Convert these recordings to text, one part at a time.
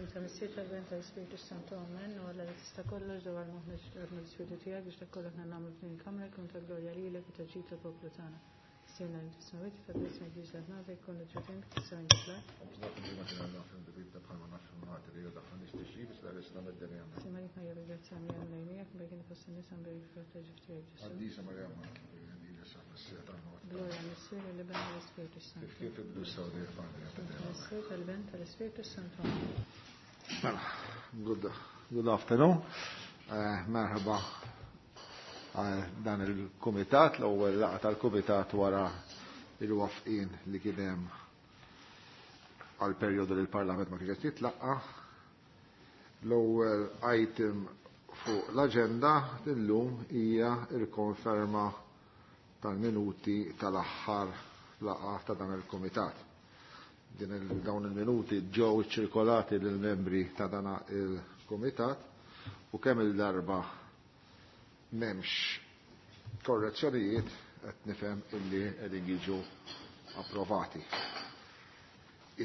Fl-isem ta' Missier tal-Ben tal-Ispirtu Santu Amen u Alla li tista' kollox dawar moħħna ġdadna l-Ispirtu tiegħek biex dak kollu aħna nagħmlu f'din il-kamra jkun ta' glorja lilek u ta' ġid tal-poplu tagħna. Missierna li fis-smewwiet jitqaddes ismek jiġi saltnatek jkun l-ġutin kif tissew inti fl-art. Sima lik Marija bil-grazzja Mulej miegħek, mberkin fost in-nisa mberek il-frott ta' ġuf tiegħek Ġesù. Glorja Missier l-Iben u l-Ispirtu Santu. Missier tal-Iben tal-Ispirtu Santu. Mela, good afternoon. Merħba għal dan il-kumitat, l-ewwel laqgħa tal-kumitat wara il-wafqin li kien hemm għal perjodu li l-Parlament ma kienx qed jitlaqqa. L-ewwel item fuq l-aġenda illum hija l-konferma tal-minuti tal-aħħar laqgħa ta' dan il-kumitat. Dawn il-minuti ġew iċċirkolati lill-membri ta' dan il-kumitat u kemm il-darba m'hemmx korrezzjonijiet qed nifhem illi qegħdin jiġu approvati.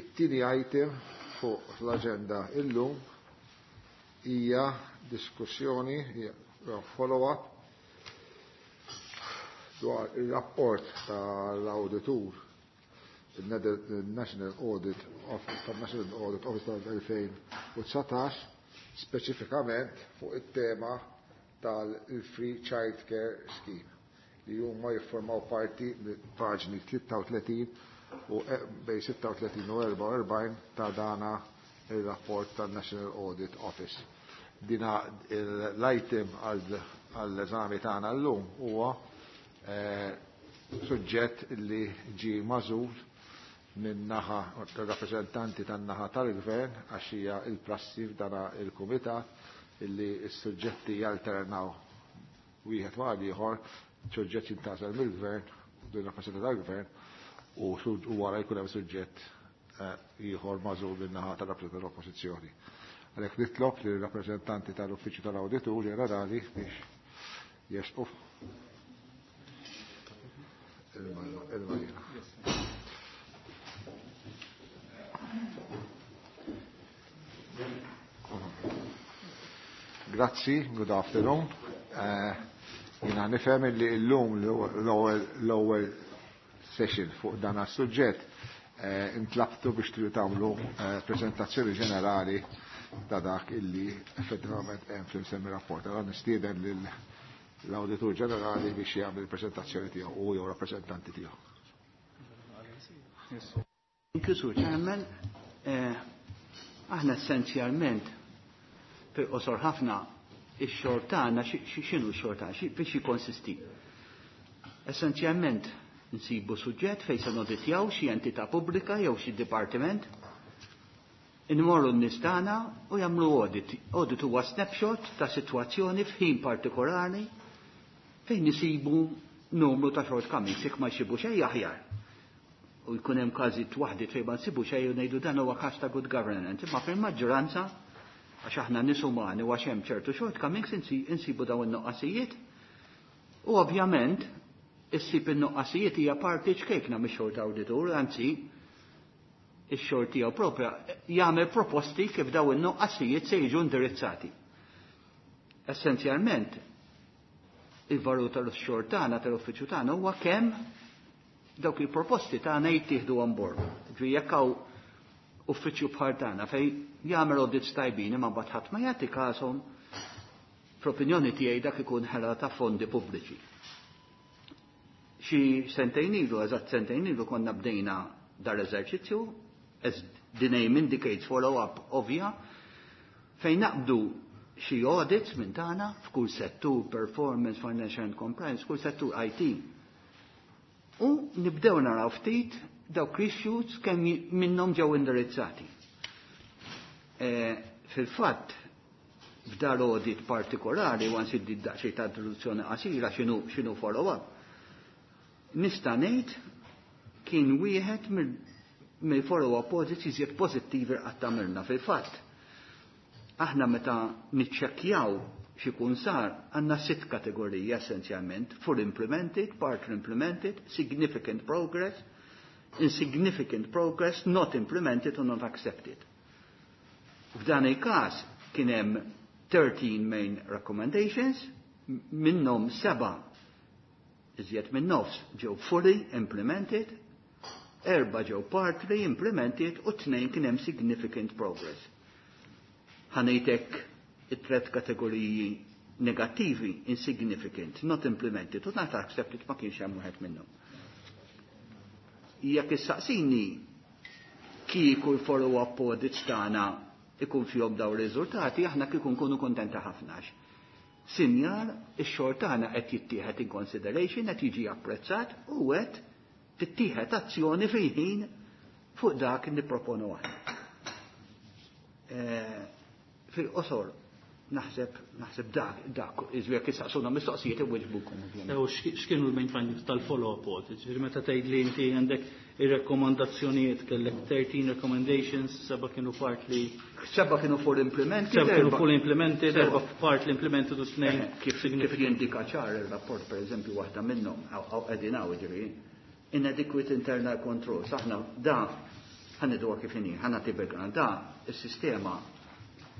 It-tieni item fuq l-aġenda illum hija diskussjoni, follow-up dwar il-rapport tal-auditur il-National Audit Office tal-National Audit Office tal-2019 speċifikament fuq it-tema tal-Free Child Care Scheme li huma jiffurmaw parti paġni 33 u bej 36 u 44 ta' dana il-rapport tal-National Audit Office. Dina l-item għall-eżami tagħna llum huwa suġġett li ġi magħżul minn naħa rappreżentanti tan-naħa tal-gvern għax hija il-prassi f'dana il-kumitat illi s-suġġetti jalternaw wieħed ma' ieħor, suġġett jintgħażel mill-gvern, din rappreżentanti tal-gvern, u wara jkun hemm suġġett ieħor magħżul min-naħa tal-rappreżentanti tal-Oppożizzjoni. Għalhekk nitlob li rappreżentanti tal-Uffiċċju tal-Awditur Ġenerali biex jersqu il-marina. Grazzi, good afternoon. Jina nifhem li llum l-ewwel session fuq dan is-suġġett intlabtu biex tridu tagħmlu prezentazzjoni ġenerali ta' dak illi effettivament hemm fl-imsemmi rapport. Allora nistieden lill-Awditur Ġenerali biex jagħmel il-preżentazzjoni tiegħu u jew rappreżentanti tiegħu. Thank you, Sur Chairman. Aħna essenzjalment fil-qosor ħafna ix-xogħol tagħna x'inhu x-xogħol tagħna, biex jikkonsisti. Essenzjalment nsibu suġġett fejn se noditjaw xi entità pubblika jew xi dipartiment, inmorru n-nies tagħna u jagħmlu audit. Audit huwa snapshot ta' sitwazzjoni f'ħin partikolari fejn nisibu numru ta' shortcomings, jekk ma jsibu xejn aħjar. U jkun hemm każijiet waħdiet fejn ma nsibu xejn u ngħidu dan huwa każ ta' good governance, imma fil-maġġoranza għax aħna nies umani u għax hemm ċertu shortcomings insibu dawn in-nuqqasijiet. U ovvjament issib in-nuqqasijiet hija parti ċkejkna mix-xogħol ta' awditur, anzi ix-xogħol tiegħu propja jagħmel proposti kif dawn in-nuqqasijiet se jiġu indirizzati. Essenzjalment il-valur tal-xogħol tagħna tal-uffiċċju tagħna huwa kemm dawk il-proposti tagħna jittieħdu on board. Ġifieri jekk hawn uffiċċju bħal tagħna fejn jagħmel audits tajbin imma mbagħad ħadd ma jagħti każhom, fl-opinjoni tiegħi dak ikun ħela ta' fondi pubbliċi. Xi sentejn ilu, eżatt sentejn ilu konna bdejna dar eżerċizzju, as the name indicates follow-up ovvja, fejn naqbdu xi audits minn tagħna f'kull settur performance, financial and compliance, kull settur IT. U nibdew naraw ftit dawk issues kemm minnhom ġew indirizzati. Fil-fatt, f'dar audit partikolari, u għansi daqsxejn ta' introduzzjoni qasira x'inhu follow-up, nista' ngħid kien wieħed mill-follow-up audits iżjed pożittivi qatt għamilna. Fil-fatt, aħna meta niċċekkjaw x'ikun sar, għandna 6 kategoriji essenzjalment: full implemented, partly implemented, significant progress, insignificant progress, not implemented or not accepted. F'dan il-każ kien hemm 13 main recommendations, minnhom 7, iżjed minn nofs, ġew fully implemented, 4 ġew partly implemented u 2 kien hemm significant progress. Ħa ngħidlek it-tret kategoriji negattivi: insignificant, not implemented u not accepted ma kienx hemm wieħed minnhom. Jekk issaqsini kieku l-follow-up audits tagħna ikun fihom daw riżultati, aħna kieku nkunu kontenta ħafna. Sinjal, ix-xogħol tagħna qed jittieħed in consideration, qed jiġi apprezzat u qed tittieħed azzjoni fil-ħin fuq dak nipproponu aħna. Fil-qosor, naħseb dak, iżjed issaqsuna mistoqsijiet inwiġbukom. U x'kienu l-main findings tal-follow-up audit? Ġifieri meta tgħid li inti għandek ir-rekkomandazzjonijiet, kellek 13 recommendations, 7 kienu partly 7 kienu full implemented. 7 kienu full implemented, 4 partly implemented u 2 Kif jindika ċar il-rapport, per eżempju, waħda minnhom, għaw qegħdin hawn, ġifieri, inadequate internal control. Aħna da ħa ngħiduha kif inhi, ħa nagħti background, da is-sistema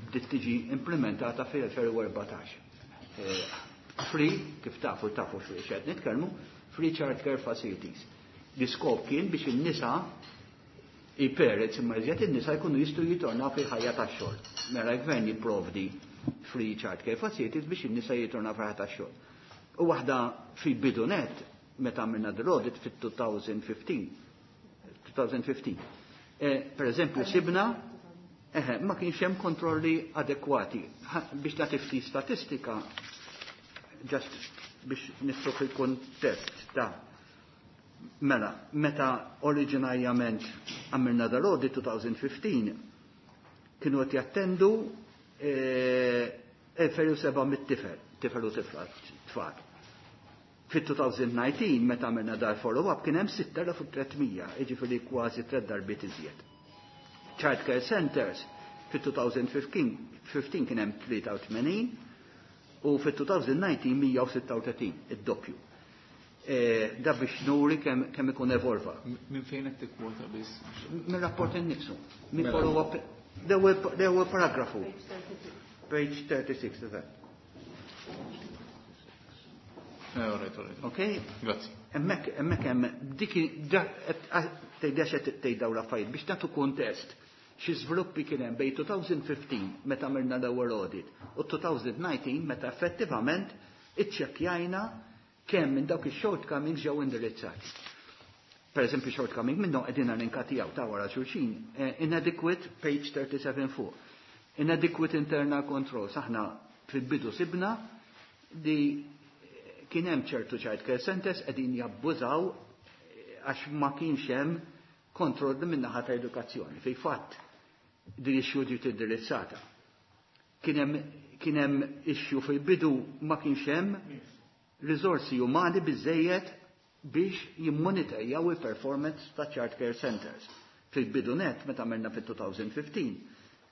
bdiet tiġi implementata fil-2014. Free, kif tafu x'qed nitkellmu, free child care facilities. L-iskop kien biex in-nisa, il-parents imma iżjed in-nisa, jkunu jistgħu jitornaw fil-ħajja tax-xogħol. Mela l-gvern jipprovdi free child care facilities biex in-nisa jitornaw fil-ħajja tax-xogħol. U waħda fil-bidu net, meta għamilna l-audit fit-2015, 2015. Per eżempju, sibna ma kienx hemm kontrolli adekwati. Biex nagħti ftit statistika, just biex nistru fil-kontest ta' mela, meta oriġinarjament għamilna dal-audit 2015, kienu qed jattendu 2700 tifel, tifel u tifla, tfal. Fit-2019, meta għamilna dal follow-up, kien hemm 6300, jiġifieri kważi tliet darbiet iżjed. Child Care Centers fit-2015 kien hemm 83 u fit-2019 136, id-doppju. Da biex nuri kemm ikun evolva. Minn fejn qed tikkwota biss? Minn rapport innifsu. Minn follow-up. L-ewwel paragrafu. Page 36, eżatt. All right. Ok? Grazzi. Hemmhekk hemm dik tgħidha qed tgħid dawn l-affarijiet biex nagħtu kuntest xi żviluppi kien hemm bejn 2015, meta għamilna l-ewwel audit, u 2019, meta effettivament iċċekkjajna kemm minn dawk ix-shortcomings ġew indirizzati. Per eżempju, shortcoming minnhom qegħdin elenkati ta' wara xulxin, inadequate, page 37 fuq. Inadequate internal controls, aħna fil-bidu sibna li kien hemm ċertu child care centers qegħdin jabbużaw għax ma kienx hemm kontroll minn naħa ta' edukazzjoni. Fej fatt din issue ġiet indirizzata. Kien hemm issue fil-bidu, ma kienx hemm riżorsi umani biżejjed biex jimmonitorjaw il-performance ta' child care centers. Fil-bidu net, meta għamilna fil-2015,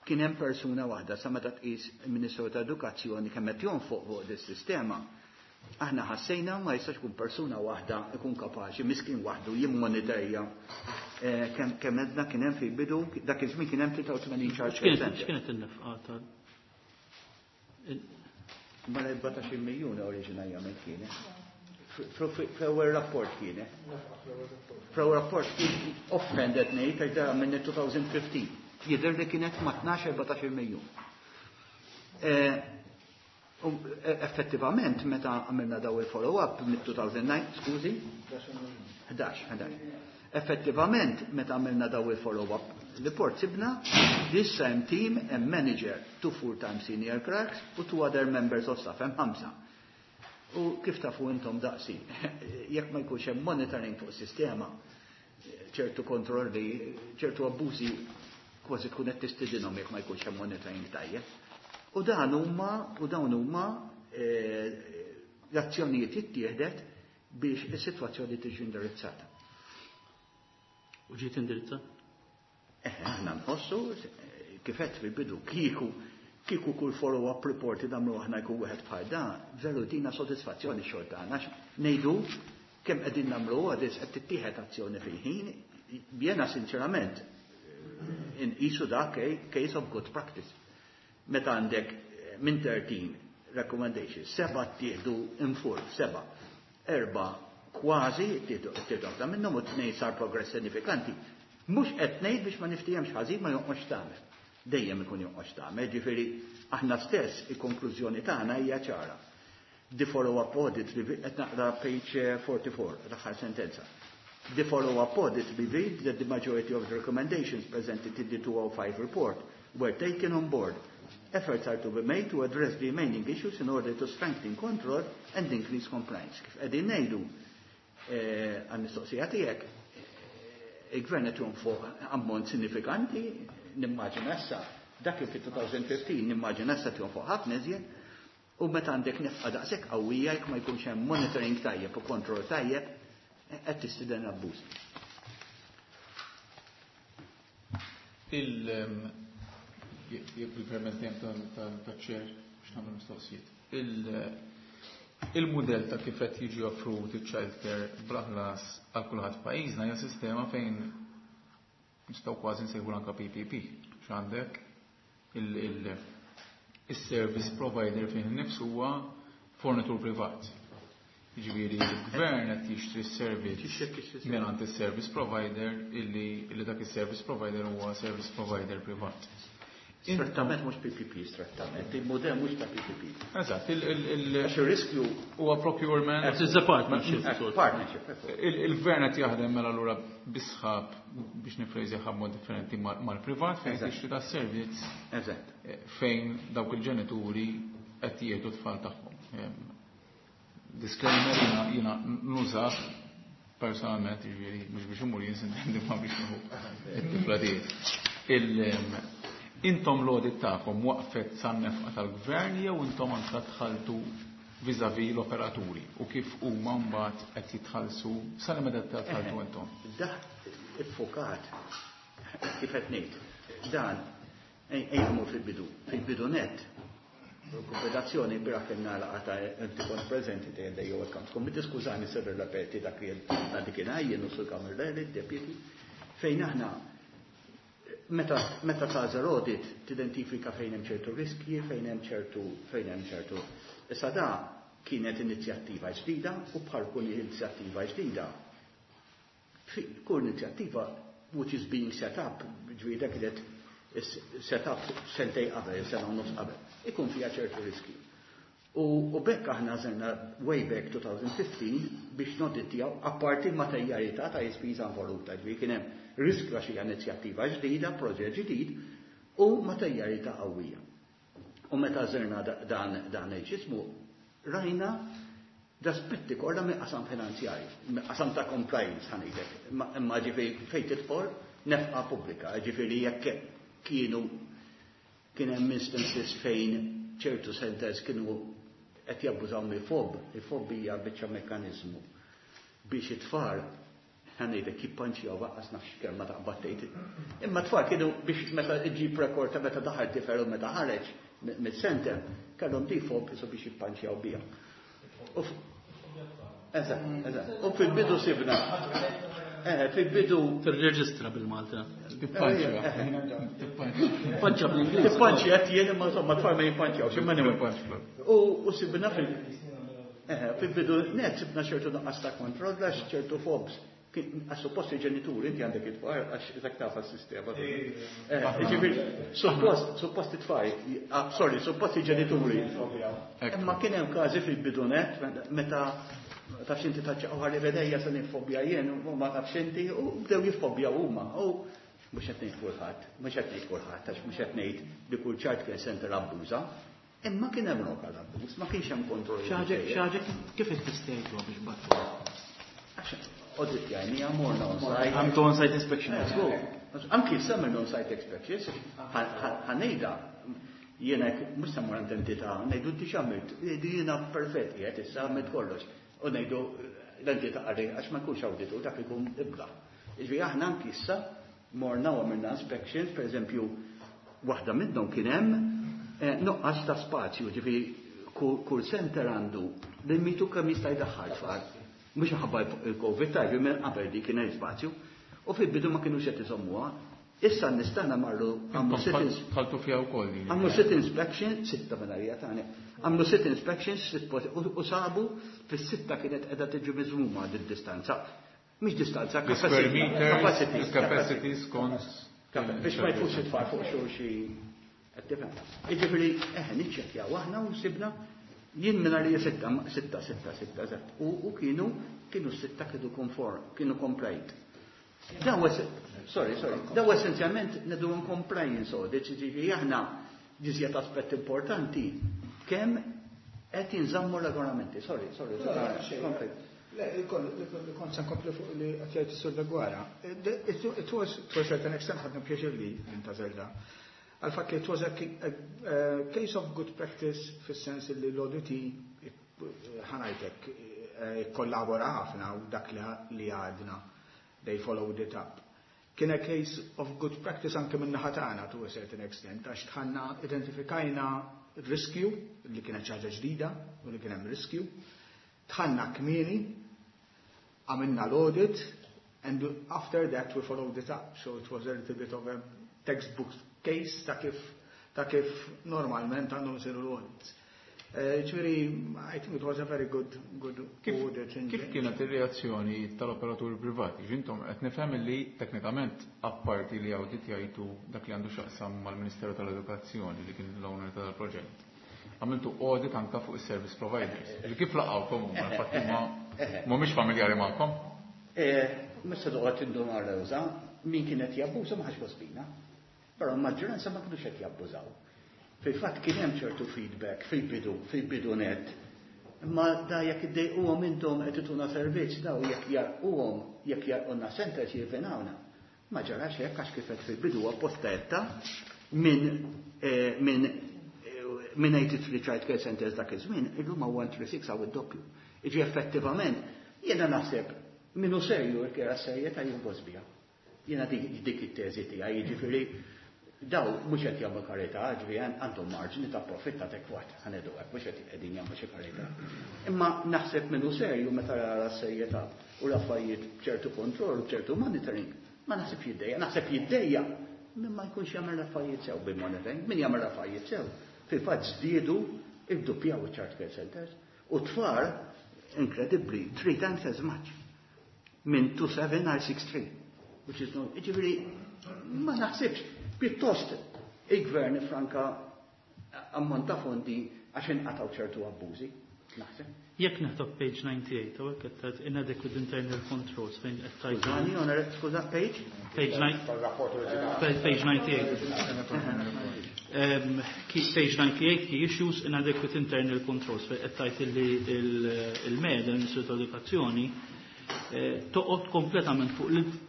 kien hemm persuna waħda. Sa meta tqis il-Ministru ta' Edukazzjoni kemm qed jonfoq fuq dis-sistema, aħna ħassejna ma jistax ikun persuna waħda ikun kapaċi miskin waħdu jimmonitorja kemm għedna kien hemm fil-bidu, dak iż-żmien kien hemm 83 child care center. X'kienet in-nefqa tal Ma 14 miljun oriġinarjament kienet. Fl-ewwel rapport kienet. Fl-ewwel rapport kien offended ngħid għax da minn 2015. Jidher li kienet ma' 12-14 miljun. U effettivament, meta għamilna daw il-follow-up mit-2009, skużi? 11, 11. Effettivament, meta għamilna daw il-follow-up report, sibna this same team and manager, two full-time senior clerks u two other members of staff, hemm ħamsa. U kif tafu intom daqsi, jekk ma jkunx hemm monitoring fuq sistema, ċertu kontrolli, ċertu abbużi kważi tkun qed tistidinhom jekk ma jkunx hemm monitoring tajjeb. U dawn huma l-azzjonijiet ittieħdet biex is-sitwazzjoni tiġi indirizzata. U ġiet indirizzata? Aħna nħossu, kif għedt fil-bidu, kieku kull follow-up report nagħmlu aħna jkun wieħed bħal da, veru tina sodisfazzjoni xogħol tagħna. Ngħidu kemm qegħdin nagħmlu għadis qed tittieħed azzjoni fil-ħin, jiena sinċerament Inqisu dak case of good practice. Meta għandek minn 13 recommendations, seba ttieħdu in full, seba. Erba kważi ttieħdu waħda minnhom u tnejn sar progress sinifikanti. Mhux qed ngħid biex ma niftihemx ħażin ma jonqosx tagħmel. Dejjem ikun jonqos tagħmel, ġifieri aħna stess il-konklużjoni tagħna hija ċara. The follow-up audit, qed naqra page 44, l-aħħar sentenza. The follow-up audit revealed that the majority of the recommendations presented in the 205 report were taken on board. Efforts are to be made to address the remaining issues in order to strengthen control and increase compliance. Kif qegħdin ngħidu għal-mistoqsija tiegħek, il-gvern qed jonfoq ammont sinifikanti, nimmaġina issa, dak kien fit-2015, nimmaġina issa jonfoq ħafna iżjed, u meta għandek nefqa daqshekk qawwija jekk ma jkunx hemm monitoring tajjeb u kontroll tajjeb, qed tistieden abbuż. Jekk il-permess dejjem taċ-chair biex nagħmel mistoqsijiet. Il-mudell ta' kif qed jiġi offrut iċ-child care bla ħlas għal kulħadd f'pajjiżna hija sistema fejn nistgħu kważi nsejħu anke PPP. X'għandek il-service provider fih innifsu huwa fornitur privat. Jiġifieri l-gvern qed jixtri s-servizz mingħand is-service provider illi dak is-service provider huwa service provider privat. Strettament mhux PPP, strettament, il-modell mhux ta' PPP. Eżatt, Għax ir-riskju huwa procurement. It's a partnership. Partnership. Il-gvern qed jaħdem mela allura bisħab biex nifrejżi mod differenti mal-privat fejn tixtri ta' servizz. Fejn dawk il-ġenituri qed jieħdu tfal tagħhom. Disclaimer, jiena nużah personalment, jiġifieri mhux biex imur jien sintendi ma biex nieħu it-tifla tiegħi. Intom l-audit tagħkom waqfet san-nefqa tal-gvern jew intom anke dħaltu vis-à-vis l-operaturi u kif huma mbagħad qed jitħallsu sa meta tħalltu intom? Dak iffokat kif qed ngħid. Dan ejja fil-bidu, fil-bidu net. Konfederazzjoni bira kellna laqgħa ta' inti kont preżenti tgħid jew account committee, skużani se nirrepeti dak li għandi kien jien u Sur Camilleri, deputy, fejn aħna meta tagħżel audit tidentifika fejn hemm ċertu riskji, fejn hemm ċertu, fejn hemm ċertu. Issa da kienet inizjattiva ġdida u bħal kull inizjattiva ġdida. Kull inizjattiva which is being set up, ġwida kienet set up sentej qabel, sena u nofs qabel, ikun fiha ċertu riski. U bekk aħna żerna way back 2015 biex noddittjaw apparti materjalità ta' ispiża involuta, ġifieri kien hemm riskju għax hija inizjattiva ġdida, proġett ġdid u materjalità qawwija. U meta żerna dan il-ġismu, rajna l-aspetti kollha minn qasam finanzjarju, minn qasam ta' compliance ħanejlek, imma ġifieri fejn tidħol nefqa pubblika, ġifieri jekk kien hemm instances fejn ċertu centers kienu qed jabbużaw mill-fob, il-fob hija biċċa mekkaniżmu biex it-tfal ħanejlek jippanċjaw waqqas nafx kelma taqbad tgħid. Imma tfal kienu biex meta ġib rekord ta' meta daħal tifel u meta ħareġ mid-center, kellhom di fob isu biex jippanċjaw biha. Eżatt, eżatt. U fil-bidu sibna. Fil-bidu Tirreġistra bil-Malta. Tippanċja. Tippanċja bl-Ingliż. Tippanċja qed jien imma insomma tfal ma jippanċjawx, imma anyway. U sibna fil-bidu net sibna ċertu nuqqas ta' kontroll għax ċertu fobs. Għax suppost il-ġenituri inti għandek it-tfal għax dak taf għas-sistema. Ġifieri, suppost it-tfal, sorry, suppost il-ġenituri. Imma kien hemm każi fil-bidu net meta tafx inti taċċaqgħu ħalli vedejja se nifobja jien u ma tafx inti u bdew jiffobjaw huma. U mhux qed ngħid kulħadd, mhux qed ngħid kulħadd, għax mhux qed ngħid li kull child care center abbuża, imma kien hemm lokal abbuż, ma kienx hemm kontroll. Xi ħaġa kif ittestejtuha biex battu? Għax audit jgħajni morna on-site. Għamtu on-site inspection. Anki semmer on-site inspections, ħanejda, jiena mhux se mmur għand entità, ngħidu inti x'għamilt, ngħidu jiena perfett qiegħed issa għamilt kollox. U ngħidu l-entità għarri għax ma jkunx awditu dak ikun ibla. Jiġifieri aħna anki issa morna u għamilna inspections, per eżempju, waħda minnhom kien hemm nuqqas ta' spazju, ġifieri kull center għandu limitu kemm jista' jdaħħal tfal. Mhux ħabba il-Covid tajbi minn qabel di kien hemm spazju. U fil-bidu ma kinux qed iżommuha. Issa nistana marru għamlu sit Tħaltu fiha wkoll din. Għamlu sit inspection, sitta minarija tagħna. Għamlu sit inspection, sitt u sabu fis-sitta kienet qiegħda tiġi miżmuma din distanza. Mhix distanza, Square meters, capacity. capacity skont. Biex ma jfux it-tfal fuq xulxin. Qed tifhem? Jiġifieri, eħe, niċċekkjaw aħna u sibna jien minn għalija sitta, sitta, sitta, sitta, eżatt. U kienu sitta kienu conform, kienu compliant. Daw, sorry, sorry, daw essenzjalment ngħidu compliance audit, ġifieri aħna ġiżjed aspett importanti kemm qed jinżammu regolamenti. Sorry, sorry, sorry. Kompli. Le, kont se nkompli fuq li qed jgħid is-Sur Deguara. It was, to a certain extent, ħadna pjaċir li intgħażel da. Għal-fatt li it was a case of good practice fis-sens li l-ODT ħa ngħidlek kollabora ħafna u dak li għadna they followed it up. Kien a case of good practice anke minn naħa tagħna to a certain extent għax dħalna identifikajna riskju li kienet ħaġa ġdida u li kien hemm riskju. Dħalna kmieni, għamilna l-audit, and after that we followed it up. So it was a little bit of a textbook case ta' kif normalment għandhom isiru l-audits. Ġifieri, I think it was a very good audit. Kif kienet ir-reazzjoni tal-operaturi privati? Ġintom, qed nifhem li teknikament apparti li audit jgħidu dak li għandu x'jaqsam mal-Ministeru tal-Edukazzjoni li kien l-owner tal-proġett. Għamiltu audit anka fuq is-service providers. Li kif laqgħukom huma, infatti ma mhumiex familjari magħkom? Mista toqgħod tinduna rewża, min kienet jabbuża ma ħax gost bina. Però l-maġġoranza ma kinux qed jabbużaw. Fil-fatt kien hemm ċertu feedback fil-bidu, fil-bidu net. Imma da jekk iddejquhom intom qed ituna servizz daw jekk jarquhom, jekk jarqulna centers jirvenawna. Ma ġarax hekk għax kif qed fil-bidu apposta etta minn 83 child care centers dak iż-żmien, illum huwa 136 għaw id-doppju. Iġi effettivament, jiena naħseb minnu serju jekk serjetà jieħu bija. Jiena dik it-teżi tiegħi, jiġifieri daw mhux qed jagħmlu karità, ġifieri għandhom marġni ta' profitt adekwat, ħa ngħidu hekk, mhux qed qegħdin jagħmlu xi karità. Imma naħseb minnu serju meta jara s-serjetà u l-affarijiet b'ċertu kontroll u b'ċertu monitoring, ma naħseb jiddejja, naħseb jiddejja min ma jkunx jagħmel affarijiet sew bil-monitoring, min jagħmel affarijiet sew. Fil-fatt żdiedu idduppjaw iċ-child care centers u tfal incredibly three times as much minn 27 għal 63, which is no, ġifieri, ma naħsibx, pjuttost il-gvern franka ammont ta' fondi għax inqataw ċertu abbużi, naħseb. Jekk neħtob page 98, u hekk qed inadequate internal controls fejn qed tgħid. Skużani, onore, skuża, page? Page 9. Tal-rapport oriġinali. Page 98. Page 98, key issues, inadequate internal controls, fejn qed tgħid li il-MED, il-Ministru tal-Edukazzjoni, toqgħod kompletament fuq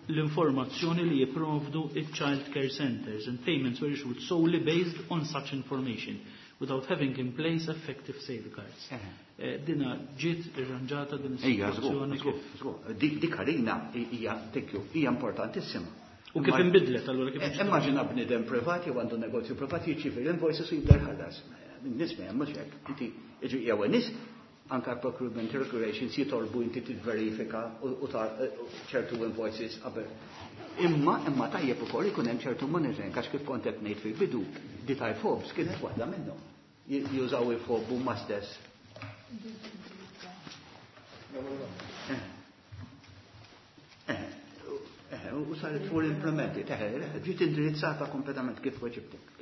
l-informazzjoni li jipprovdu il-child care centers and payments were issued solely based on such information without having in place effective safeguards. Dina ġiet irranġata din is-sitwazzjoni żgur, kif? Żgur. Dik għalina hija, thank you, hija importantissima. U kif inbidlet allura kif Immaġina bniedem privat jew għandu negozju privat jirċievi l-invoices u jibda jħallas. Nies ma jagħmlux hekk. Inti jiġi jew nies anka procurement regulations jitolbu inti tivverifika u ta' ċertu invoices qabel. Imma tajjeb ukoll ikun hemm ċertu monitoring għax kif kont qed ngħid fil-bidu di tal-fobs kienet waħda minnhom. Jużaw il-fob huma stess. U saret full implemented, ġiet indirizzata kompletament kif weġibtek.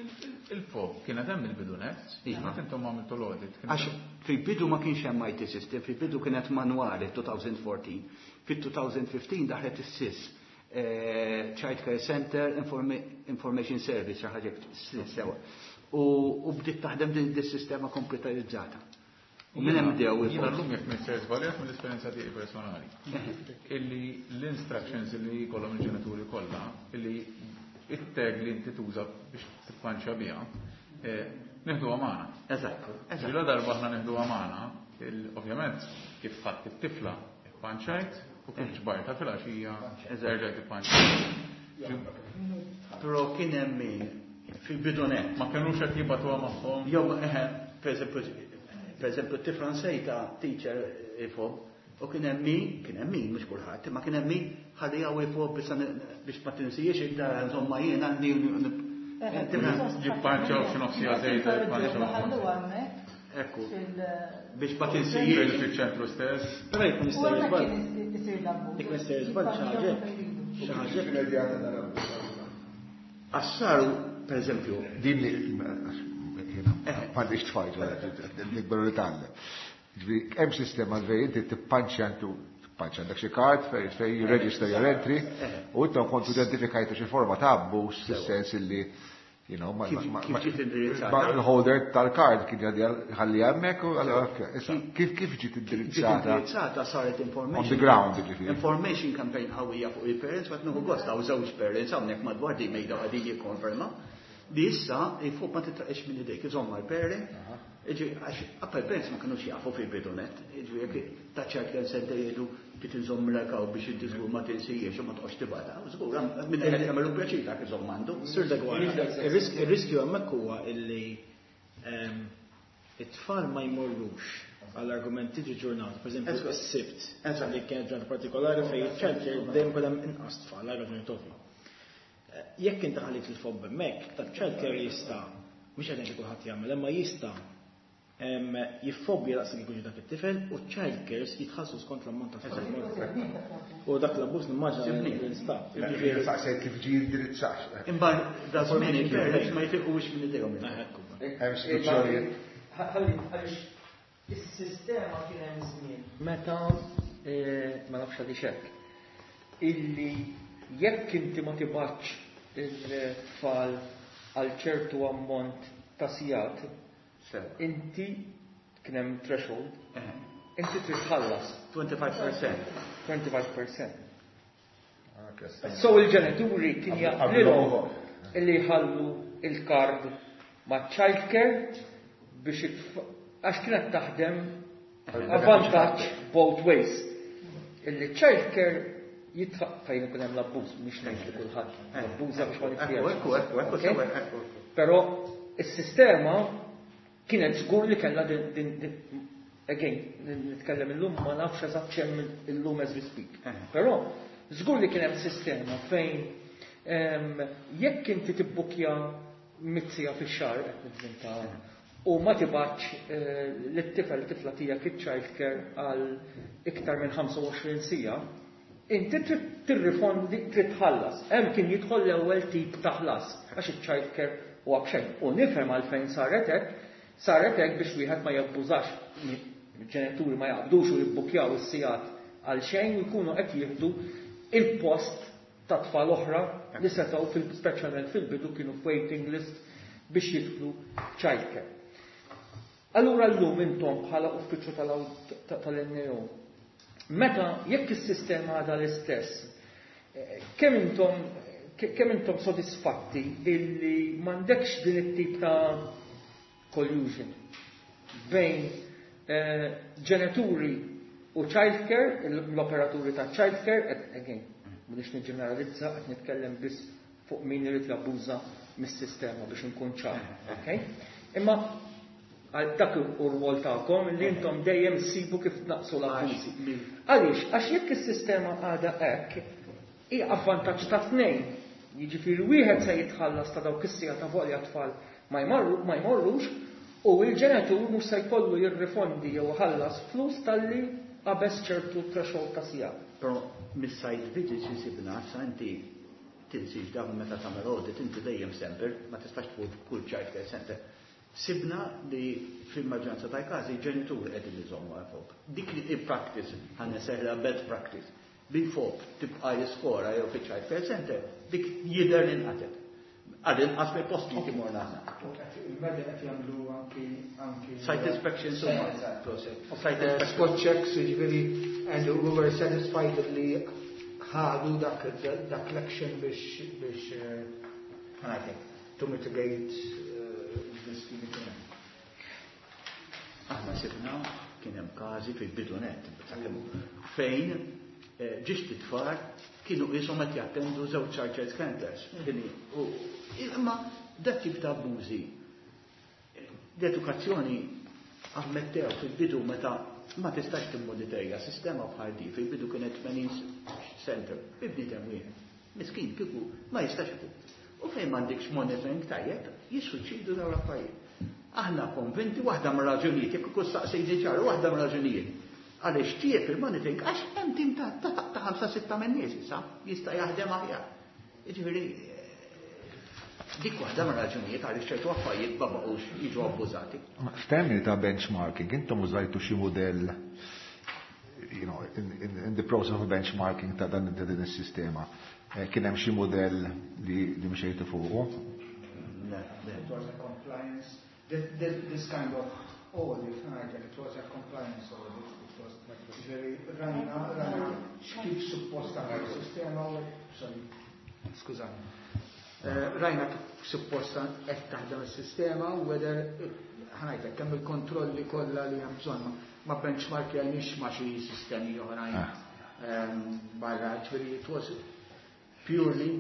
Il-fob kienet hemm il-bidu net, Iva. meta intom għamiltu l-audit. Għax fil-bidu ma kienx hemm IT system, fil-bidu kienet manwali 2014. Fil-2015 daħlet is-SIS, Child Care Center Information Service, xi ħaġa SIS sewa. U bdiet taħdem din is-sistema komputerizzata. U minn hemm bdew Jiena il-fob. llum jekk mister żbaljat mill-esperjenza tiegħi personali. Illi l-instructions li jkollhom il-ġenituri kollha, illi it-tag li inti tuża biex tippanċja biha, neħduha magħna. Eżatt. Ġila darba aħna neħduha magħna, ovvjament kif ħadd it-tifla ippanċajt u kif ġbarta fil-għaxija erġajt ippanċajt. Però kien hemm min fil-bidunet. Ma kinux qed jibgħatuha magħhom. Jew, eħe, per eżempju, per eżempju, tifla nsejta teacher il-fob. U kien hemm min, kien hemm min, mhux kulħadd, imma kien hemm min ħalli hawn il-fob biex ma tinsijiex id-dar insomma jien għandi Jippanċaw xi nofsija żejda jippanċaw. Ekku. Biex ma tinsijiex. Fiċ-ċentru stess. Però jkun jista' jiżball. Jkun jista' jiżball xi ħaġa. Xi ħaġa. Immedjata tal-abbuż. Għax per eżempju, Din li m'għandix tfal, nikberu li tgħallem. Ġifieri hemm sistema fejn inti tippanċja intu tippanċja għandek xi kard fejn fejn you register your entry u intom kontu identifikajtu xi forma ta' abbuż fis-sens illi Kif ġiet indirizzata? Il-holder tal-kard kien ħalli hemmhekk u allura, issa kif ġiet indirizzata? Indirizzata saret information. On the ground, ġifieri. Information campaign qawwija fuq il-parents, għad nieħu gost hawn żewġ parents hawnhekk madwar di mejda qegħdin jikkonferma. Li issa il-fob ma titlaqx minn idejk, iżomma l-parent. Għax appel parents ma kinux jafu fil-bidu net. Ġifieri jekk ta' child center jgħidu kif inżomm rakaw biex inti żgur ma tinsijiex u ma toqgħodx tibgħatha. Żgur minn qed jagħmlu pjaċir dak iżomm għandu. Sur Deguara, ir-riskju hemmhekk huwa illi it-tfal ma jmorrux għall-argument tiġi ġurnata, per eżempju, is-Sibt, li kienet ġurnata partikolari fejn iċ-childcare dejjem ikun hemm inqas tfal għal raġuni ovvja. Jekk inti ħallit il-fob hemmhekk, ta' childcare jista' mhux qed ngħid li kulħadd jagħmel, imma jista' jiffobbja daqs li jkun dak it-tifel u childcares jitħallsu skont l-ammont ta' tfal. U dak l-abbuż nimmaġina li jinstab. Ġifieri saqsejt kif ġie indirizzat. Imbagħad da żmien il-parents ma jitilqux minn idejhom. Hemm istituzzjonijiet. Ħalli għaliex is-sistema kien hemm żmien meta ma nafx għaliex hekk illi jekk inti ma tibgħatx il-tfal għal ċertu ammont ta' sigħat, inti kien hemm threshold, inti trid tħallas. 25%. 25%. So il-ġenituri kien jaqblilhom illi jħallu il-kard ma' childcare biex għax kienet taħdem avvantaġġ both ways. Illi childcare jitħaq fejn ikun hemm l-abbuż, mhux ngħid li kulħadd abbuża biex ma niftiex. Ekku, ekku, ekku, Okay? sewa, ekku. Però is-sistema kienet żgur li kellha din again, nitkellem illum ma nafx eżatt x'hemm illum as we speak. Però żgur li kien hemm sistema fejn jekk inti tibbukja mitt siegħa fix-xahar qed nivvinta u ma tibgħatx lit-tifel tifla tiegħek iċ-childcare għal iktar minn 25 siegħa, inti trid tirrifondi, trid tħallas. Hemm kien jidħol l-ewwel tip ta' ħlas għax iċ-childcare huwa b'xejn. U nifhem għalfejn saret hekk, saret hekk biex wieħed ma jabbużax, ġenituri ma jaqbdux u jibbukjaw is-sigħat għal xejn u jkunu qed jieħdu il-post ta' tfal oħra li setgħu speċjalment fil-bidu kienu f'waiting list biex jidħlu childcare. Allura llum intom bħala uffiċċju tal-NAO, meta jekk is-sistema għadha l-istess, kemm intom sodisfatti illi m'għandekx din it-tip ta' collusion bejn ġenituri u childcare, l-operaturi ta' childcare, et again, mhux niġġeneralizza, qed nitkellem biss fuq min irid jabbuża mis-sistema biex inkun ċar, okay? Imma għal dak u rwol tagħkom li intom dejjem ssibu kif tnaqsu l-abbużi. Għaliex? Għax jekk is-sistema għadha hekk, hi avvantaġġ ta' tnejn. Jiġifieri wieħed se jitħallas ta' dawk is-siegħa ta' volja tfal ma jmorrux, u l-ġenitur mhux se jkollu jirrifondi jew ħallas flus talli qabeż ċertu threshold ta' siegħa. Però mis-site visits insibna, sa inti tinsiex dawn meta tagħmel audit, inti dejjem semper, ma tistax tfut kull child care center. Sibna li fil-maġġoranza tal-każi ġenituri qegħdin iżommu għal fob. Dik li il-practice, ħa nsejħilha bad practice, bil-fob tibqa' jiskora jew fiċ-child care center, dik jidher li nqatet. Għal inqas mill-post li timorna aħna. Il-media qed jagħmlu anki Site inspections huma. Site inspections. Spot checks, jiġifieri, and we were satisfied li ħadu dak l-action biex to mitigate this li kien hemm. Aħna sibna kien hemm każi fil-bidu net, fejn ġiex titfar kienu qishom qed jattendu żewġ child care centers. Imma dak tip ta' abbużi. L-edukazzjoni ammettew fil-bidu meta Ma tistax timmonitorja sistema bħal di, fil-bidu kienet 80 center, bi bniedem wieħed. Miskin kieku ma jistax ikun. U fejn m'għandekx monitoring tajjeb, jissuċċidu dawn l-affarijiet. Aħna konvinti waħda mir-raġunijiet, jekk ikun staqsejt ċar, waħda mir-raġunijiet. Għaliex tjieb il-monitoring għax hemm tim ta' 5-6 minn nies issa jista' jaħdem aħjar. Jiġifieri dik waħda mir-raġunijiet għaliex ċertu affarijiet ma baqgħux jiġu abbużati. F'termini ta' benchmarking, intom użajtu xi mudell in the process of benchmarking ta' dan din is-sistema. Kien hemm xi mudell li mxejtu fuqu? Le, le. It was a compliance, this kind of audit, it was a compliance audit. It was very rajna, rajna kif suppost taħdem is-sistema u sorry, skużani. Rajna kif suppost qed taħdem is-sistema u whether ħa ngħidlek kemm il-kontrolli kollha li hemm bżonn ma benchmark jgħinix ma xi sistemi oħrajn barra, ġifieri it was purely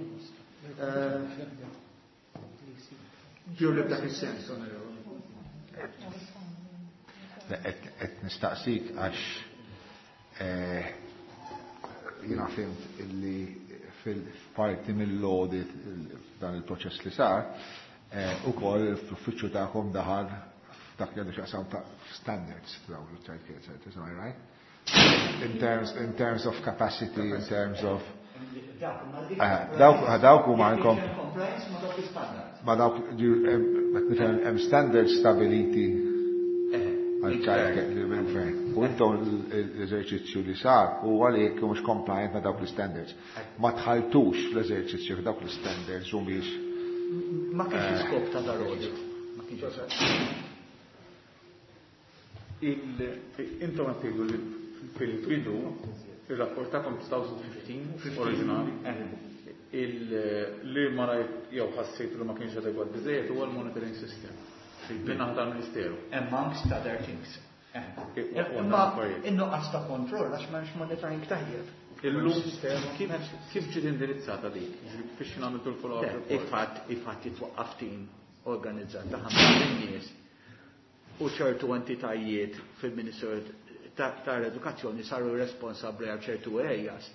b'dak is-sens, onorevoli. Qed nistaqsik għax jiena fhimt illi fil-parti mill-audit dan il-proċess li sar, ukoll fl-uffiċċju tagħkom daħal dak li għandu x'jaqsam ta' standards f'dawn il-child care centers, am I right? In terms of capacity, in terms of dawk huma għandkom ma dawk nifhem hemm standards stabiliti għal child care li mill-gvern. U intom l-eżerċizzju li sar huwa li jekk mhux compliant ma' dawk l-standards. Ma tħaltux fl-eżerċizzju f'dawk l-standards u mhix. Ma kienx iskop ta' dar-audit. Ma kienx iskop. Intom qed tgħidu li fil-bidu ir-rapport tagħkom 2015 oriġinali li ma rajt jew ħassejt li ma kienx adegwat biżejjed huwa l-monitoring system. Min-naħa tal-Ministeru. Amongst other things. Imma in-nuqqas ta' kontroll għax m'hemmx monitoring tajjeb. Illum kif ġiet indirizzata dik? Biex nagħmlu l-follow-up report. Il-fatt jitwaqqaf team organizzat ta' ħamsa nies u ċertu entitajiet fil-Ministeru tal-Edukazzjoni saru responsabbli għal ċertu areas.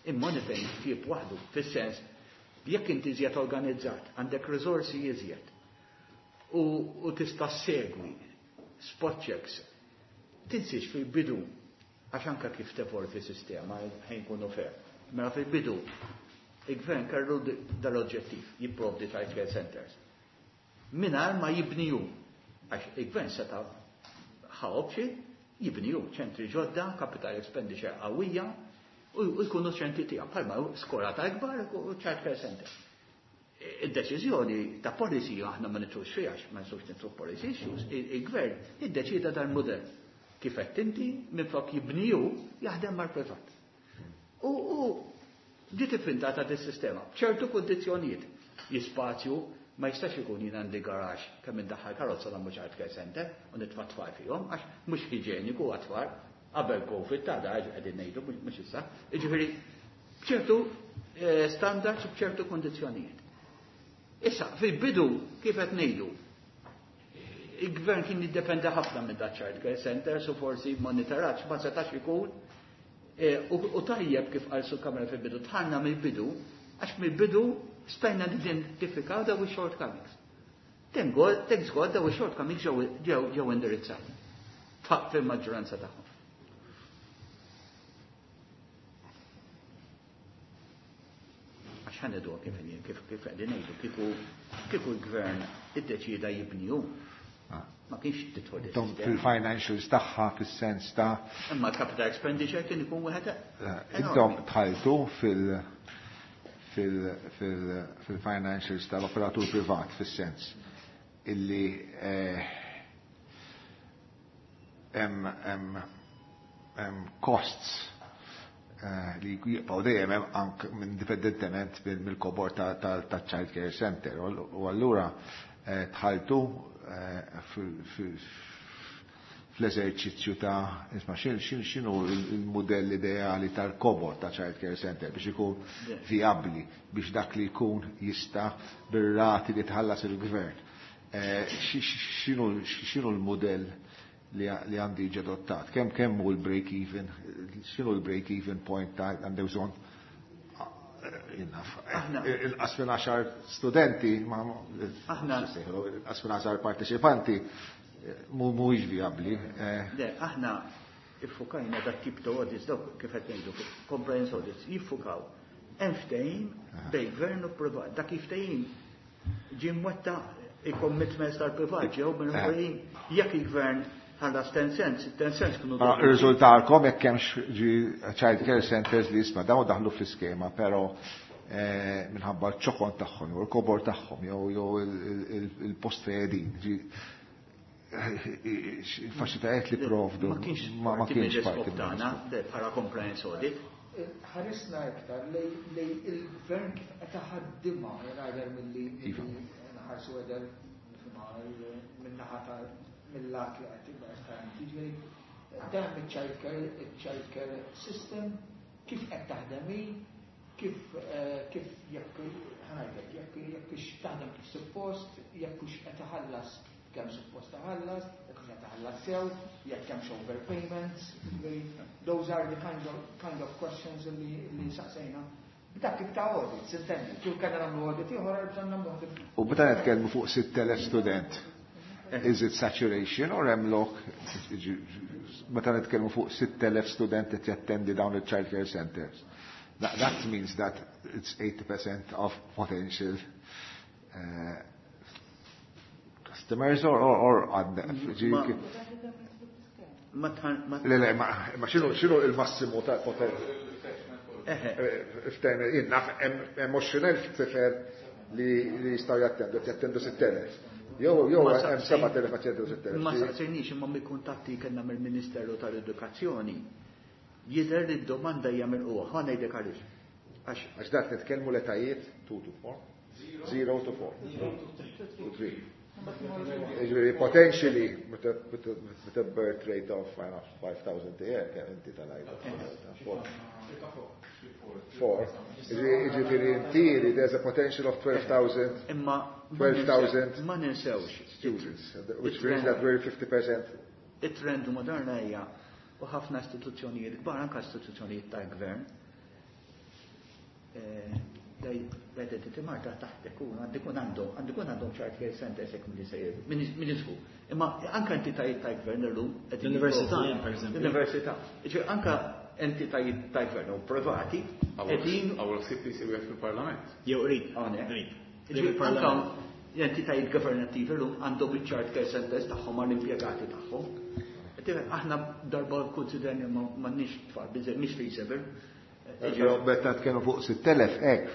Il-monitoring tjieb waħdu, fis-sens jekk inti iżjed organizzat, għandek riżorsi iżjed u tista' segwi spot checks, tinsiex fil-bidu għax anka kif tevolvi sistema ħejn kunu fair. Mela fil-bidu il-gvern kellu dal-oġġettiv jipprovdi child care centers. Mingħajr ma jibniju, għax il-gvern seta' ħa option jibniju ċentri ġodda, capital expenditure qawwija u jkunu ċentri tiegħu bħalma skola ta' ikbar u child care center. Id-deċiżjoni ta' policy aħna ma nitrux fiha, ma nistgħux nitru policy issues, il-gvern iddeċida dal-mudell. Kif qed inti minflok jibniju jaħdem mal-privat. U ġiet ivvintata dis-sistema b'ċertu kundizzjonijiet. Jispazju ma jistax ikun jien għandi garax kemm indaħħal karozza nagħmlu child care center u nitfa' tfal fihom għax mhux iġeniku għat-tfal qabel COVID ta' da qegħdin ngħidu mhux issa. Jiġifieri b'ċertu standards u b'ċertu kundizzjonijiet. Issa, fil-bidu kif qed ngħidu, il-gvern kien jiddependa ħafna minn da child care centers u forsi monitoraġġ ma setax ikun u tajjeb kif qal Sur Kamra fil-bidu, tħanna mill-bidu, għax mill-bidu stajna nidentifikaw daw il-shortcomings. Thank God, thanks God, daw il-shortcomings ġew indirizzati. Fil-maġġoranza tagħhom. Għax ħa ngħidu kif inhi, kif qegħdin ngħidu, kieku l-gvern iddeċieda jibniju. Ma kienx tidħol Tom is-sistema. fil-financials tagħha fis-sens ta' Imma l-capital expenditure kien ikun wieħed Intom dħaltu fil-financials tal-operatur privat fis-sens illi hemm costs li jibqgħu dejjem hemm anke indipendentement mill-kobor ta' child care center u allura dħaltu fl-eżerċizzju ta' isma' x'inhu il-mudell ideali tal-kobor ta' child care center biex ikun viabli biex dak li jkun jista' bir-rati li tħallas il-gvern. X'inhu l-mudell li għandu jiġi adottat. Kemm hu l-break even, x'inhu l-break even point ta' għandu bżonn inqas minn 10 studenti, ma Aħna- inqas minn 10 parteċipanti mhuwiex vijabbli. Le, aħna iffukajna dak tip ta' audits, dawk kif qed ngħidu, compliance audits, jiffukaw. Hemm ftehim bejn gvern u privat. Dak il-ftehim ġie mwettaq, il-commitments tal-privat ġew minn ftehim jekk il-gvern ħallas 10 cents, 10 cents kienu Ma dovuti. Riżultalkom jekk hemmx ġi child care centers li jisma' dawn daħlu fl-iskema, però minħabba ċ-ċokon tagħhom jew il-kobor tagħhom jew il-post fejn qegħdin. Ġi il-faċilitajiet li provdu Ma kienx ma parti kienx mill-iskop parti tagħna, mill-iskop. le, bħala compliance audit. Ħarisna iktar lej il-gvern kif qed iħaddimha rather milli Iva. nħarsu għedel min-naħa ta' mill-lat li qed tibqa' ta' jiġifieri dejjem il-child care system kif qed taħdem hi, kif jekk ħa ngħidlek, jekk hux taħdem kif suppost, jekk hux qed iħallas kemm suppost taħallas, jekk hux qed taħallas sew, jekk hemmx overpayments, those are the kind of questions li saqsejna. B'dak tip ta' audit, s'intendi, kif kellna nagħmlu audit ieħor, bżonn nagħmlu audit. U meta nitkellmu fuq 6,000 student, is it saturation or hemm lok, meta nitkellmu fuq 6,000 student qed jattendi dawn il-child care centers? That means that it's 80% of potential customers or Ma tħan- ma Le, le, ma x'inhu il-massimu ta' potenzjal? Eħe. F'termini, jien naf, hemm 20,000 tifel li jistgħu jattendu, qed jattendu 6,000. Jew Ma hemm 7,000 ma jattendu 6,000. Ma saqsejniex imma mill-kuntatti kellna mill-Ministeru tal-Edukazzjoni. Jidher li d-domanda hija milqugħa, ħa ngħidlek għaliex. Għax Għax dak nitkellmu l-etajiet 2 to 4. 0 to 4. To 3. Jiġifieri potentially with a birth rate of 5,000 a year, kemm inti tal-għajda? 4. Jiġifieri in theory there's a potential of 12,000 Imma 12,000 ma ninsewx. students, which means that we're 50%. It-trend moderna hija u ħafna istituzzjonijiet kbar, anke istituzzjonijiet tal-gvern, l-Identity Malta taħt ikun, għandu ikun għandhom child care centers jekk milli sejjer, min iżgu. Imma anke entitajiet tal-gvern illum qegħdin L-università jipprovdu. hemm, per eżempju. L-università. Jiġifieri anke entitajiet tal-gvern u privati qegħdin Għawel ħsieb li jsir wieħed fil-Parlament. Jew qrib. Hawnhekk. Qrib. Jiġifieri Il-Parlament. anke l-entitajiet governattivi llum għandhom il-child care centers tagħhom għall-impjegati tagħhom. Tifhem, aħna darba konsiderni m'għandniex tfal, biżejjed mhix feasible. Però meta tkellmu fuq 6,000 hekk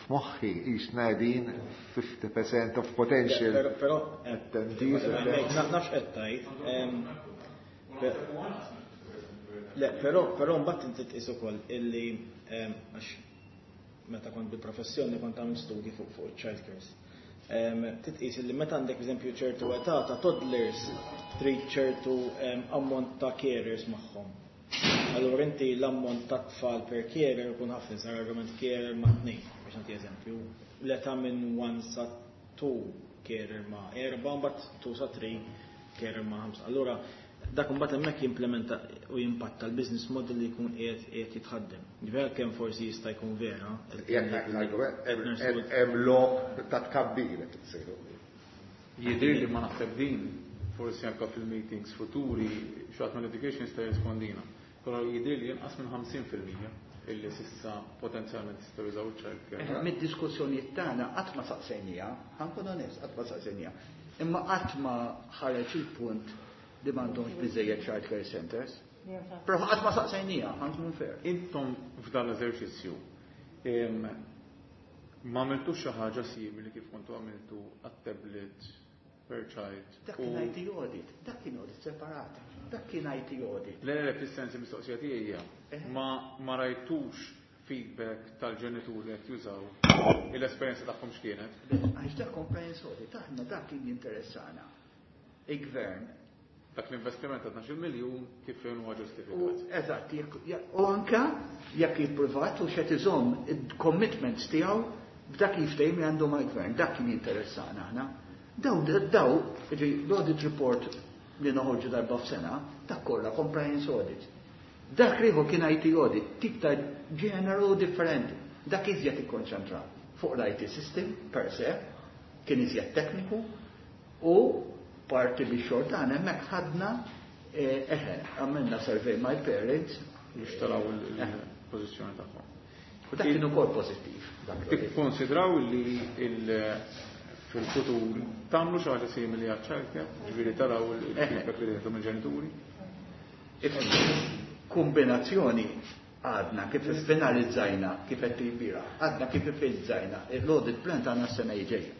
f'moħħi qisna qegħdin 50% of potential. Però attendees. nafx qed tgħid. Le, però mbagħad inti tqis ukoll illi għax meta kont bil-professjoni kont għamil studji fuq child cares. Titqis illi meta għandek eżempju ċertu età ta' toddlers trid ċertu ammont ta' carers magħhom. Allura inti l-ammont ta' tfal per carer ikun ħafna, sar argument carer ma' tnejn, biex nagħti eżempju. L-età minn 1 sa 2 carer ma' 4, mbagħad 2 sa 3 carer ma' 5. Allura dak imbagħad hemmhekk jimplementa u jimpatta l-business model li jkun qiegħed jitħaddem. Ġifieri kemm forsi jista' jkun vera. Jekk l-argument hemm lok ta' tkabbir qed tsejħu. Jidhir li ma naħseb din, forsi anke fil-meetings futuri, xi ħadd mill-education jista' jirrispondina. Però jidhir li inqas minn 50% illi s'issa potenzjalment jistgħu jużaw child care. Mid-diskussjonijiet tagħna qatt ma saqsejnija, ħa nkun onest, qatt ma saqsejnija. Imma qatt ma ħareġ il-punt li m'għandhomx biżejjed child care centers. Però qatt ma saqsejnija, ħa nkun fair. Intom f'dan l-eżerċizzju ma għamiltux xi ħaġa simili kif kontu għamiltu għat-tablet per child. Dak kien IT audit, dak kien audit separat, dak kien IT audit. Le, le, fis-sens il-mistoqsija tiegħi hija, ma rajtux feedback tal-ġenituri qed jużaw l-esperjenza tagħhom x'kienet? Għax dak compliance audit, aħna dak kien jinteressana. Il-gvern. Dak l-investiment ta' 12 miljun kif huwa ġustifikat. Eżatt, u anka jekk il-privat u xed iżomm il-commitments tiegħu b'dak il-ftehim li għandu mal-gvern, dak kien jinteressana aħna. Daw, ġi, l-audit report li noħorġu darba f'sena, dak kollha compliance audit. Dak l-ieħor kien IT audit, tip ta' ġeneru differenti. Dak iżjed ikkonċentra fuq l-IT system per se, kien iżjed tekniku u parti li xogħol tagħna hemmhekk ħadna eħe, għamilna survey my parents. Biex taraw il-pożizzjoni tagħhom. U dak kien ukoll pożittiv. Tikkonsidraw li fil-futur tagħmlu xi ħaġa simili għaċ-childcare, ġifieri taraw il-feedback li tieħdu mill-ġenituri? Kombinazzjoni għadna kif finalizzajna kif qed tibira, għadna kif finalizzajna l-audit plan tagħna s-sena ġejja.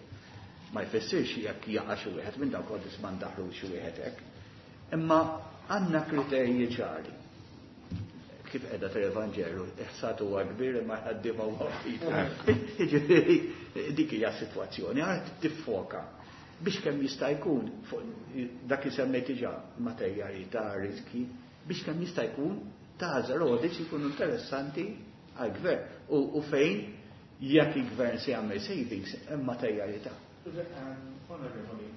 Ma jfissirx jekk jaqa' xi wieħed minn dawk audits ma ndaħlu xi wieħed hekk. Imma għandna kriterji ċari. Kif qiegħda tal-Evanġelu, iħsad huwa kbir imma ħaddiema huwa ftit. Jiġifieri dik hija s-sitwazzjoni, għad tiffoka biex kemm jista' jkun fuq dak li semmejt diġà materjali ta' riski, biex kemm jista' jkun tagħżel audits jkunu interessanti għall-gvern u fejn jekk il-gvern se jagħmel savings hemm materjalità. Onorevoli,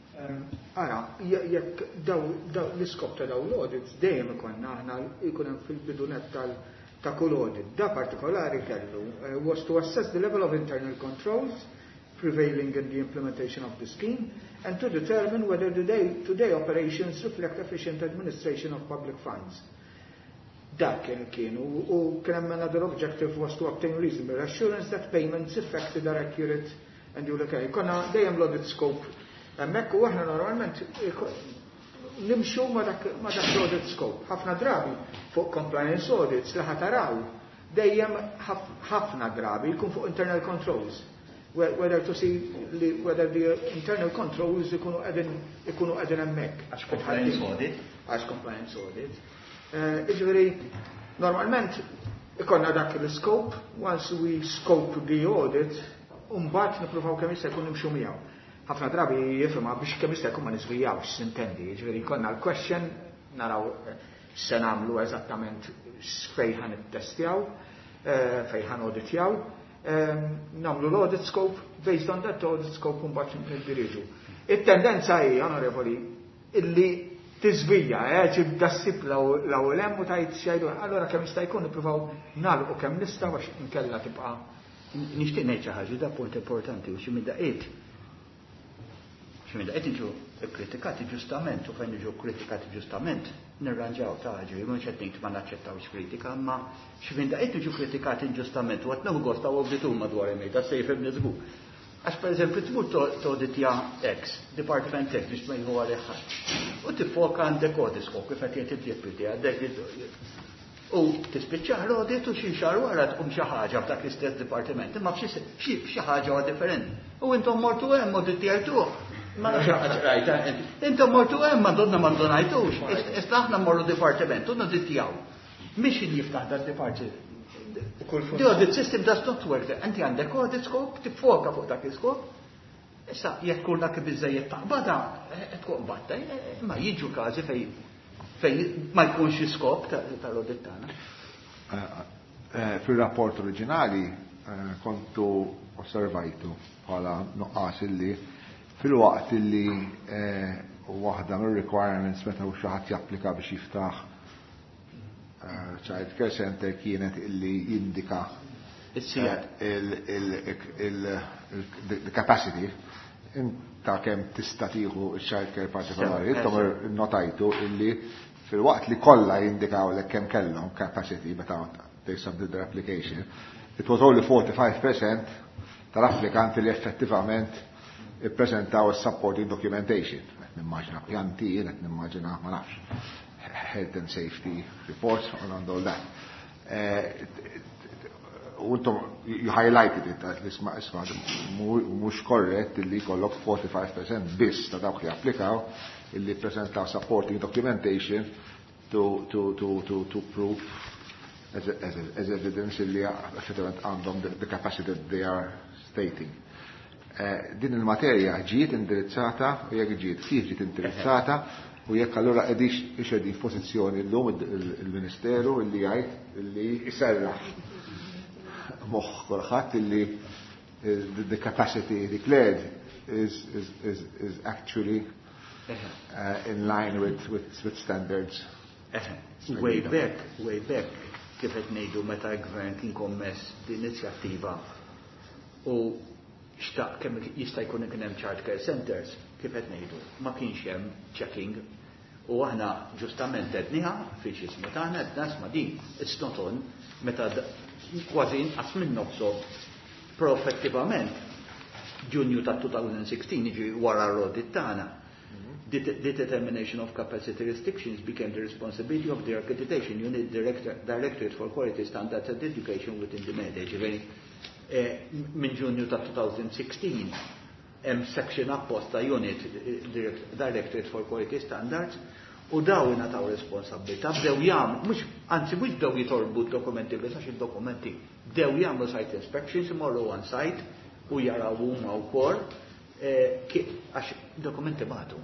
ara, jekk daw l-iskop ta' daw l-audits dejjem ikollna aħna jkun hemm fil-bidunet tal ta' kull audit. Da partikolari kellu was to assess the level of internal controls prevailing in the implementation of the scheme and to determine whether the day-to-day operations reflect efficient administration of public funds. Dak kien kien u kien hemm another objective was to obtain reasonable assurance that payments effected are accurate and duly carried. Konna dejjem l-audit scope hemmhekk u aħna normalment nimxu ma dak l-audit scope. Ħafna drabi fuq compliance audits li ħataraw dejjem ħafna drabi jkun fuq internal controls. Whether to see whether the internal controls ikunu qegħdin hemmhekk. Għax compliance audit. Għax compliance audit. Iġifieri, normalment ikollna dak l-scope, once we scope the audit, mbagħad nippruvaw kemm jista' jkun nimxu miegħu. Ħafna drabi jifhimha biex kemm jista' jkun ma niżvijawx, sintendi, jiġifieri jkollna l-question, naraw x'se nagħmlu eżattament fejn ħa nittestjaw, fejn ħa auditjaw, nagħmlu l-audit scope, based on that audit scope mbagħad niddiriġu. It-tendenza hi, onorevoli, illi tiżvija, ġibda ssib l-ewwel hemm u tgħid xejdu, allura kemm jista' jkun nippruvaw nagħlqu kemm nistgħu għax inkella tibqa'. Nixtieq ngħid xi ħaġa, da punt importanti u xi minn daqqiet. Xi minn daqqiet niġu kkritikati ġustament u fejn niġu kkritikati ġustament nirranġaw ta' ħaġa, mhux qed ngħid ma naċċettawx kritika, imma xi minn daqqiet niġu kritikati inġustament u qed nieħu gost ta' awditur madwar il-mejda se jifhimni żgur. Għax per eżempju tmur toditja X, Department X biex ma jieħu għalih ħadd. U tiffoka għandek audit scope kif qed jgħid id-deputy għandek u tispiċċaħ l-audit u xi xahar wara tqum xi ħaġa f'dak l-istess dipartiment, imma f'xi ħaġa huwa differenti. U intom mortu hemm auditjajtuh. Ma nafx ħaġa rajta, intom mortu hemm ma donna ma ndonajtux. Issa aħna mmorru dipartiment u noditjaw. Mhix jiftaħ dat dipartiment. The audit system does not work. Inti għandek audit scope, tiffoka fuq dak il-scope. Issa, jekk kull dak biżejjed taqbada, tkun batta, ma jiġu każi fej ma jkunx iskop tal-audit tagħna. Fil-rapport oriġinali kontu osservajtu bħala nuqqas illi fil-waqt illi waħda mir-requirements meta xi ħadd japplika biex jiftaħ child care center kienet illi jindika the capacity ta' kemm tista' tieħu child care partikolari. Intom notajtu illi fil-waqt li kollha jindikaw lek kemm kellhom capacity meta they submitted their application, it was only 45% tal-applikanti li effettivament ippreżentaw is-supporting documentation. Qed nimmaġina pjanti, qed nimmaġina ma nafx health and safety reports and all that. U intom you highlighted it, that isma, isma, mhux korrett illi jkollok 45% biss ta' dawk li applikaw illi presentaw supporting documentation to prove as evidence illi effettivament għandhom the capacity that they are stating. Din il-materja ġiet indirizzata u jekk ġiet, kif ġiet indirizzata u jekk allura qegħdix ixedin f'pożizzjoni llum il-Ministeru illi jgħid illi jserraħ moħħ kulħadd illi the capacity declared is actually in line with standards. Way back, way back, kif qed ngħidu meta l-gvern kien kommess l-inizjattiva u xtaq kemm jista' jkun kien hemm child care centers, kif qed ngħidu, ma kienx hemm checking u aħna ġustament għedniha fi x'ismu tagħna għedna isma' din it's not on meta kważi inqas minn nofshom però effettivament Ġunju ta' 2016 jiġi wara l-audit tagħna. The determination of capacity restrictions became the responsibility of the Accreditation Unit Directorate for Quality Standards and Education within the MEDE. Ġifieri minn Ġunju ta' 2016 hemm section apposta unit Directorate for Quality Standards u daw ingħataw responsabbiltà bdew jagħmlu mhux anzi mhux bdew jitolbu d-dokumenti biss għax id-dokumenti bdew jagħmlu site inspections imorru on site u jaraw huma wkoll għax dokumenti bagħtu.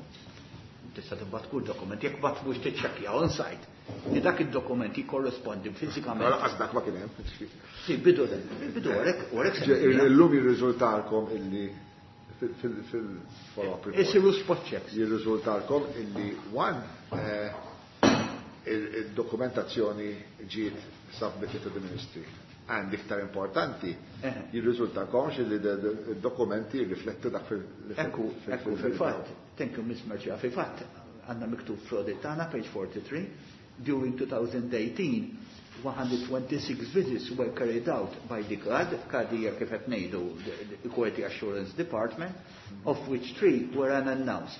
Tista' tibgħat kull dokument, jekk bagħat mhux tiċċekkja on site li dak id-dokument jikkorrespondi fiżikament. Lanqas dak ma kien hemm. Sì, bidu bidu għalhekk u għalhekk Illum jirriżultalkom illi fil-follow-up report. Isiru spot checks. Jirriżultalkom illi one il-dokumentazzjoni ġiet submitted to the ministry. And iktar importanti, jirriżultakomx li d-dokumenti jirriflettu dak fil- Ekku, ekku, fil-fatt, thank you, Miss Mercieca, fil-fatt, għandna miktub fl-audit tagħna, page 43, during 2018, 126 visits were carried out by the CAD, CAD hija kif qed ngħidu the Quality Assurance Department, of which 3 were unannounced.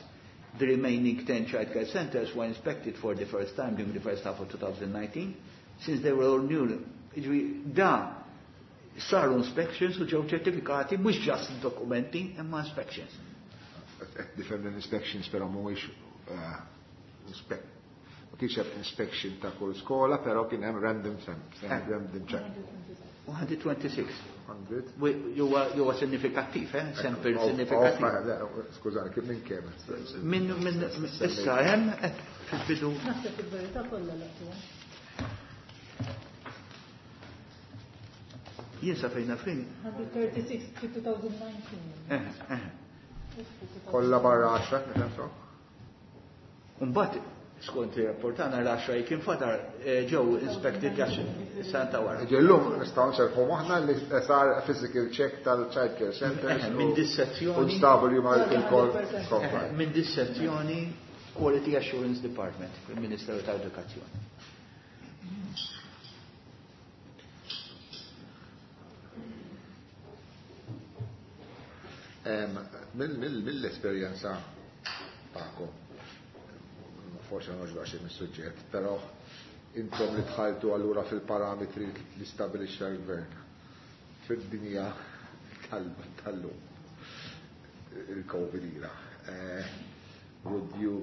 The remaining 10 childcare centers were inspected for the first time during the first half of 2019, since they were all new. Jiġifieri, da saru inspections u ġew ċertifikati mhux just dokumenti imma inspections. Qed nifhem l-inspections però mhuwiex ma kienx hemm inspection ta' kull skola, però kien hemm random random check. 126. 100. Huwa sinifikattiv, eh? Sempre sinifikattiv. Skużani, kif minn kemm? Minn issa hemm fil-bidu. Naħseb il-verità kollha laqtuha. Jien sa fejna fejn. 136 fi 2019. Kollha barra 10, nifhem so? Mbagħad skont ir-rapport tagħna l-10 kien fadar ġew inspected għax santa wara. Ġellum nistgħu nserħu moħħna li sar physical check tal-child care centers. Minn dis-sezzjoni. U nstabu li huma l-kol compliant. Minn dis-sezzjoni Quality Assurance Department fil-Ministeru tal-Edukazzjoni. Mill-esperjenza tagħkom, forse ma noġbax mis-suġġett, però intom li dħaltu allura fil-parametri li stabilixxa l-gvern fid-dinja tal-lum, il-Covid ira. Would you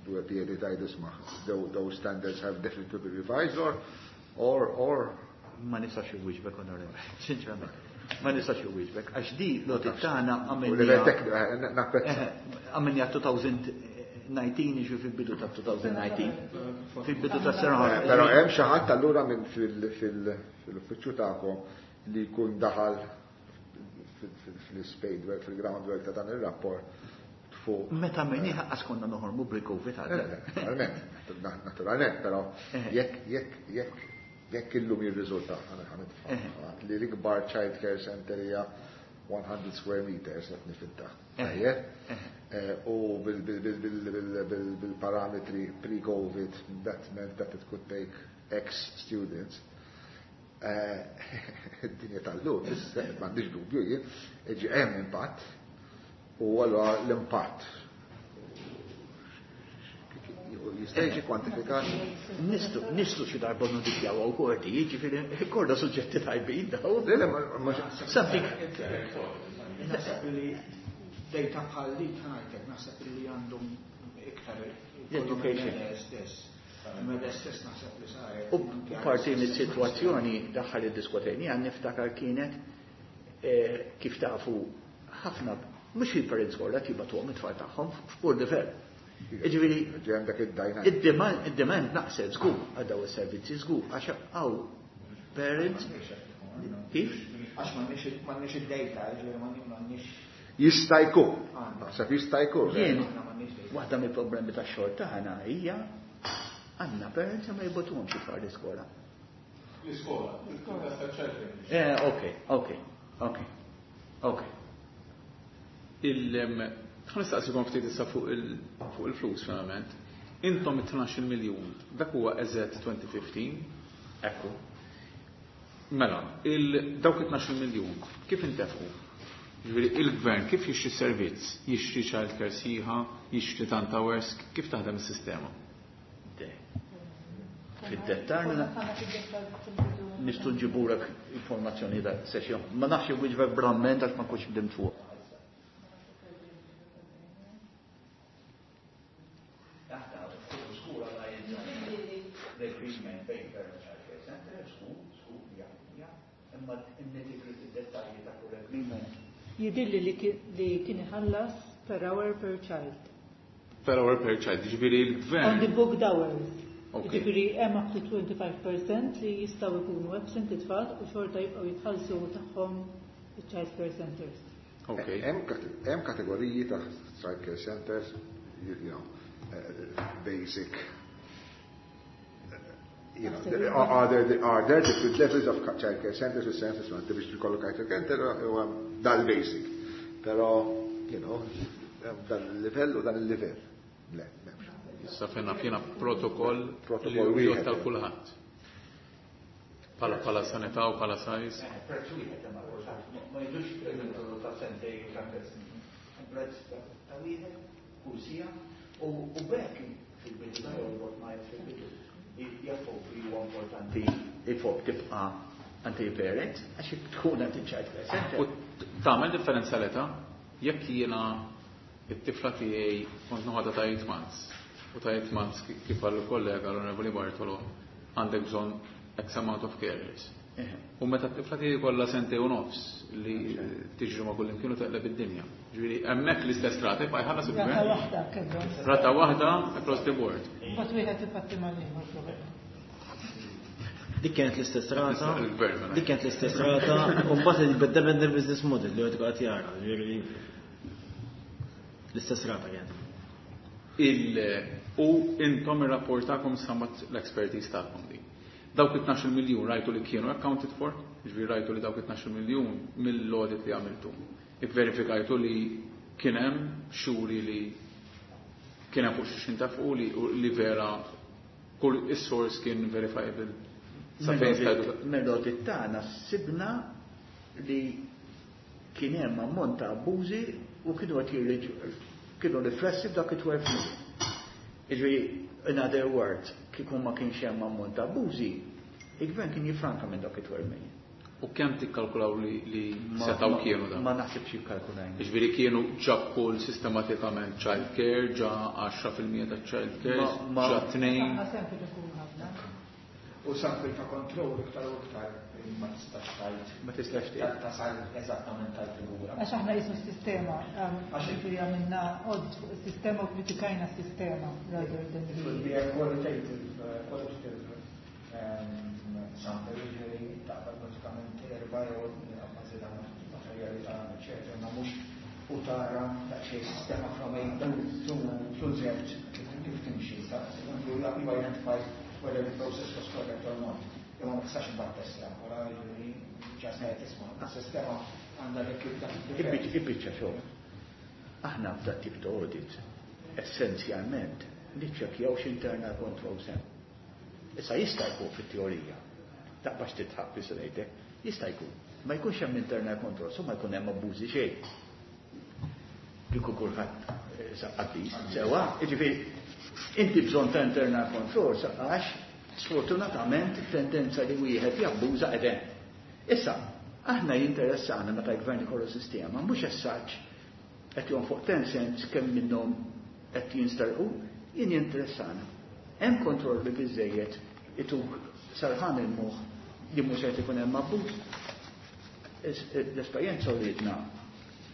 do a PhD tajdu isma', those standards have definitely to be revised or Ma nistax iwieġbek, onorevoli, sinċerament. Ma nistax iwieġbek, għax di l-audit tagħna għamilniha 2019, jiġu fil-bidu ta' 2019, fil-bidu ta' sena. Però hemm xi ħadd allura minn fil-uffiċċju tagħkom li jkun daħal fil-spade work, fil-groundwork ta' dan ir-rapport fuq. Meta minni ħaqqas konna noħormu bil-Covid għadda. Naturalment, naturalment, però jekk illum jirriżulta, li l-ikbar child care center hija 100 square meters qed nifinta. Tajjeb? U bil-parametri pre-Covid, that meant that it could take X students. Id-dinja tal-lum, m'għandix dubju jien, ġi hemm impatt, u allura l-impatt jista' jiġi kwantifikat? Nistu xi darba nodifjaw għaw kordi, jiġifieri korda suġġetti tajbin daw. Le, le, ma Something. Naħseb li data bħal li tħajtek, naħseb li għandhom iktar Education. stess. Meda stess naħseb li saret. U parti mis-sitwazzjoni daħħal id-diskotejni għan niftakar kienet kif tafu ħafna mhux il-parents kollha jibgħatuhom it-tfal tagħhom f'kull livell. Jiġifieri, Ġej għandek id-dajna. id-demand naqset żgur għal daw is-servizzi żgur għax hawn parents kif? Għax m'għandniex id-data, ġifieri m'għandniex Jista' jkun. Naħseb jista' jkun. Jien Aħna m'għandniex Waħda mill-problemi tax-xogħol tagħna hija għandna parents ma jibgħatuhomx it-tfal l-iskola. L-iskola, Eh, ok. Ħa nistaqsikom ftit issa fuq il-flus finalment. Intom it-12 miljun, dak huwa eżatt 2015. Ekku. Mela, dawk it-12 miljun, kif intefqu? Ġifieri il-gvern kif jixtri servizz? Jixtri child care sħiħa, jixtri tant hours, kif taħdem is-sistema? Fid-dettal nistgħu nġibulek informazzjoni da session. Ma nafx wieġbek bramment għax ma kontx bdimt fuq. Jidhirli li kien iħallas per hour per child. Per hour per child, ġifieri l-gvern. On the booked hours. Ġifieri hemm up to 25% li jistgħu jkunu absent it-tfal u xorta jibqgħu jitħallsu tagħhom il-child care centers. Hemm kategoriji ta' child care centers, basic. Are there different levels of child care centers, the sense that biex jkollok child care center huwa dal-basic. Però, dan il-livell u dan il-livell. Le, m'hemmx. Issa fejna fjena protokoll Protokoll li wieħed. tal kulħadd. Pala sanità u pala size. Prezz wieħed imma kulħadd ma jidux il-metodu ta' sentej u ta' tliet snin. Prezz ta' wieħed kull sija u bekk fil-bidu ta' jorbot ma fil-bidu. Jafu li huwa importanti il-fuq tibqa' anti parent għax tkun għand il-child care center. U tagħmel differenza l-età jekk jiena it-tifla tiegħi kont noħodha ta' 8 months u ta' 8 months kif qal il-kollega l-Onorevoli Bartolo għandek bżonn X amount of carers. U meta t-tifla tiegħi kollha sentej u nofs li tiġri ma' kull imkien u teqleb id-dinja. Ġifieri hemmhekk l-istess rata jibqa' jħallas il-gvern. Rata waħda kellhom. Rata waħda across the board. Mbagħad wieħed ipatti mal-ieħor probabbli. Dik kienet l-istess rata. Il-gvern, mela. Dik kienet l-istess rata u mbagħad il-beddebend il-business model li qed jara, ġifieri l-istess rata kienet. U intom ir-rapport tagħkom sammat l-expertise tagħkom di. Dawk it-12 miljun rajtu li kienu accounted for, ġifieri rajtu li dawk it-12 miljun mill-audit li għamiltu. Ivverifikajtu li kien hemm xuri li kien hemm fuq xi xintafqu li vera kull is-source kien verifiable. Sa fejn stajtu Mill-audit tagħna sibna li kien hemm ammont ta' abbużi u kienu qed jirriġu kienu riflessi f'dak it-12 million. Jiġifieri, in other words, kieku ma kienx hemm ammont ta' abbużi, il-gvern kien jifranka minn dak it-12 million. U kemm tikkalkulaw li setgħu kienu dan? Ma naħsibx jikkalkulajna. Jiġifieri kienu ġa kull sistematikament child care, ġa 10% ta' child care, ġa tnejn. Aħna sempre ikunu ħafna. U sample ta' kontroll iktar u iktar ma tistax tgħid. Ma tistax tgħid. Tasal eżattament tal-figura. Għax aħna qisu s-sistema, ġifieri għamilna audit fuq is-sistema u kritikajna s-sistema rather than It will be a qualitative sample, ġifieri taqbad pratikament erba' jew abbażi ta' materjali ta' eċetera, ma mhux u tara daqsxejn sistema from A to Z kif timxi. You identify whether the process was correct or not. Imma ma tistax imbagħad testja, wara ġifieri ġas ngħid isma' is-sistema għandha dik id-difett. Ibiċċa xogħol. Aħna f'dat tip ta' audit essenzjalment niċċekkjaw x'internal controls hemm. Issa jista' jkun fit-teorija. Taqbax titħaq fi ngħidlek, jista' jkun. Ma jkunx hemm internal controls, u ma jkun hemm abbużi xejn. Kieku kulħadd qaddis, sewa, jiġifieri inti bżonn ta' internal controls għax sfortunatament tendenza li wieħed jabbuża qegħdem. Issa, aħna jinteressana meta l-gvern ikollu sistema, mhux essaġġ qed jonfoq 10 cents kemm minnhom qed jinstarqu, jien jinteressana. Hemm kontrolli biżejjed ituk sarħan il-moħħ li mhux qed ikun hemm abbuż. L-esperjenza urietna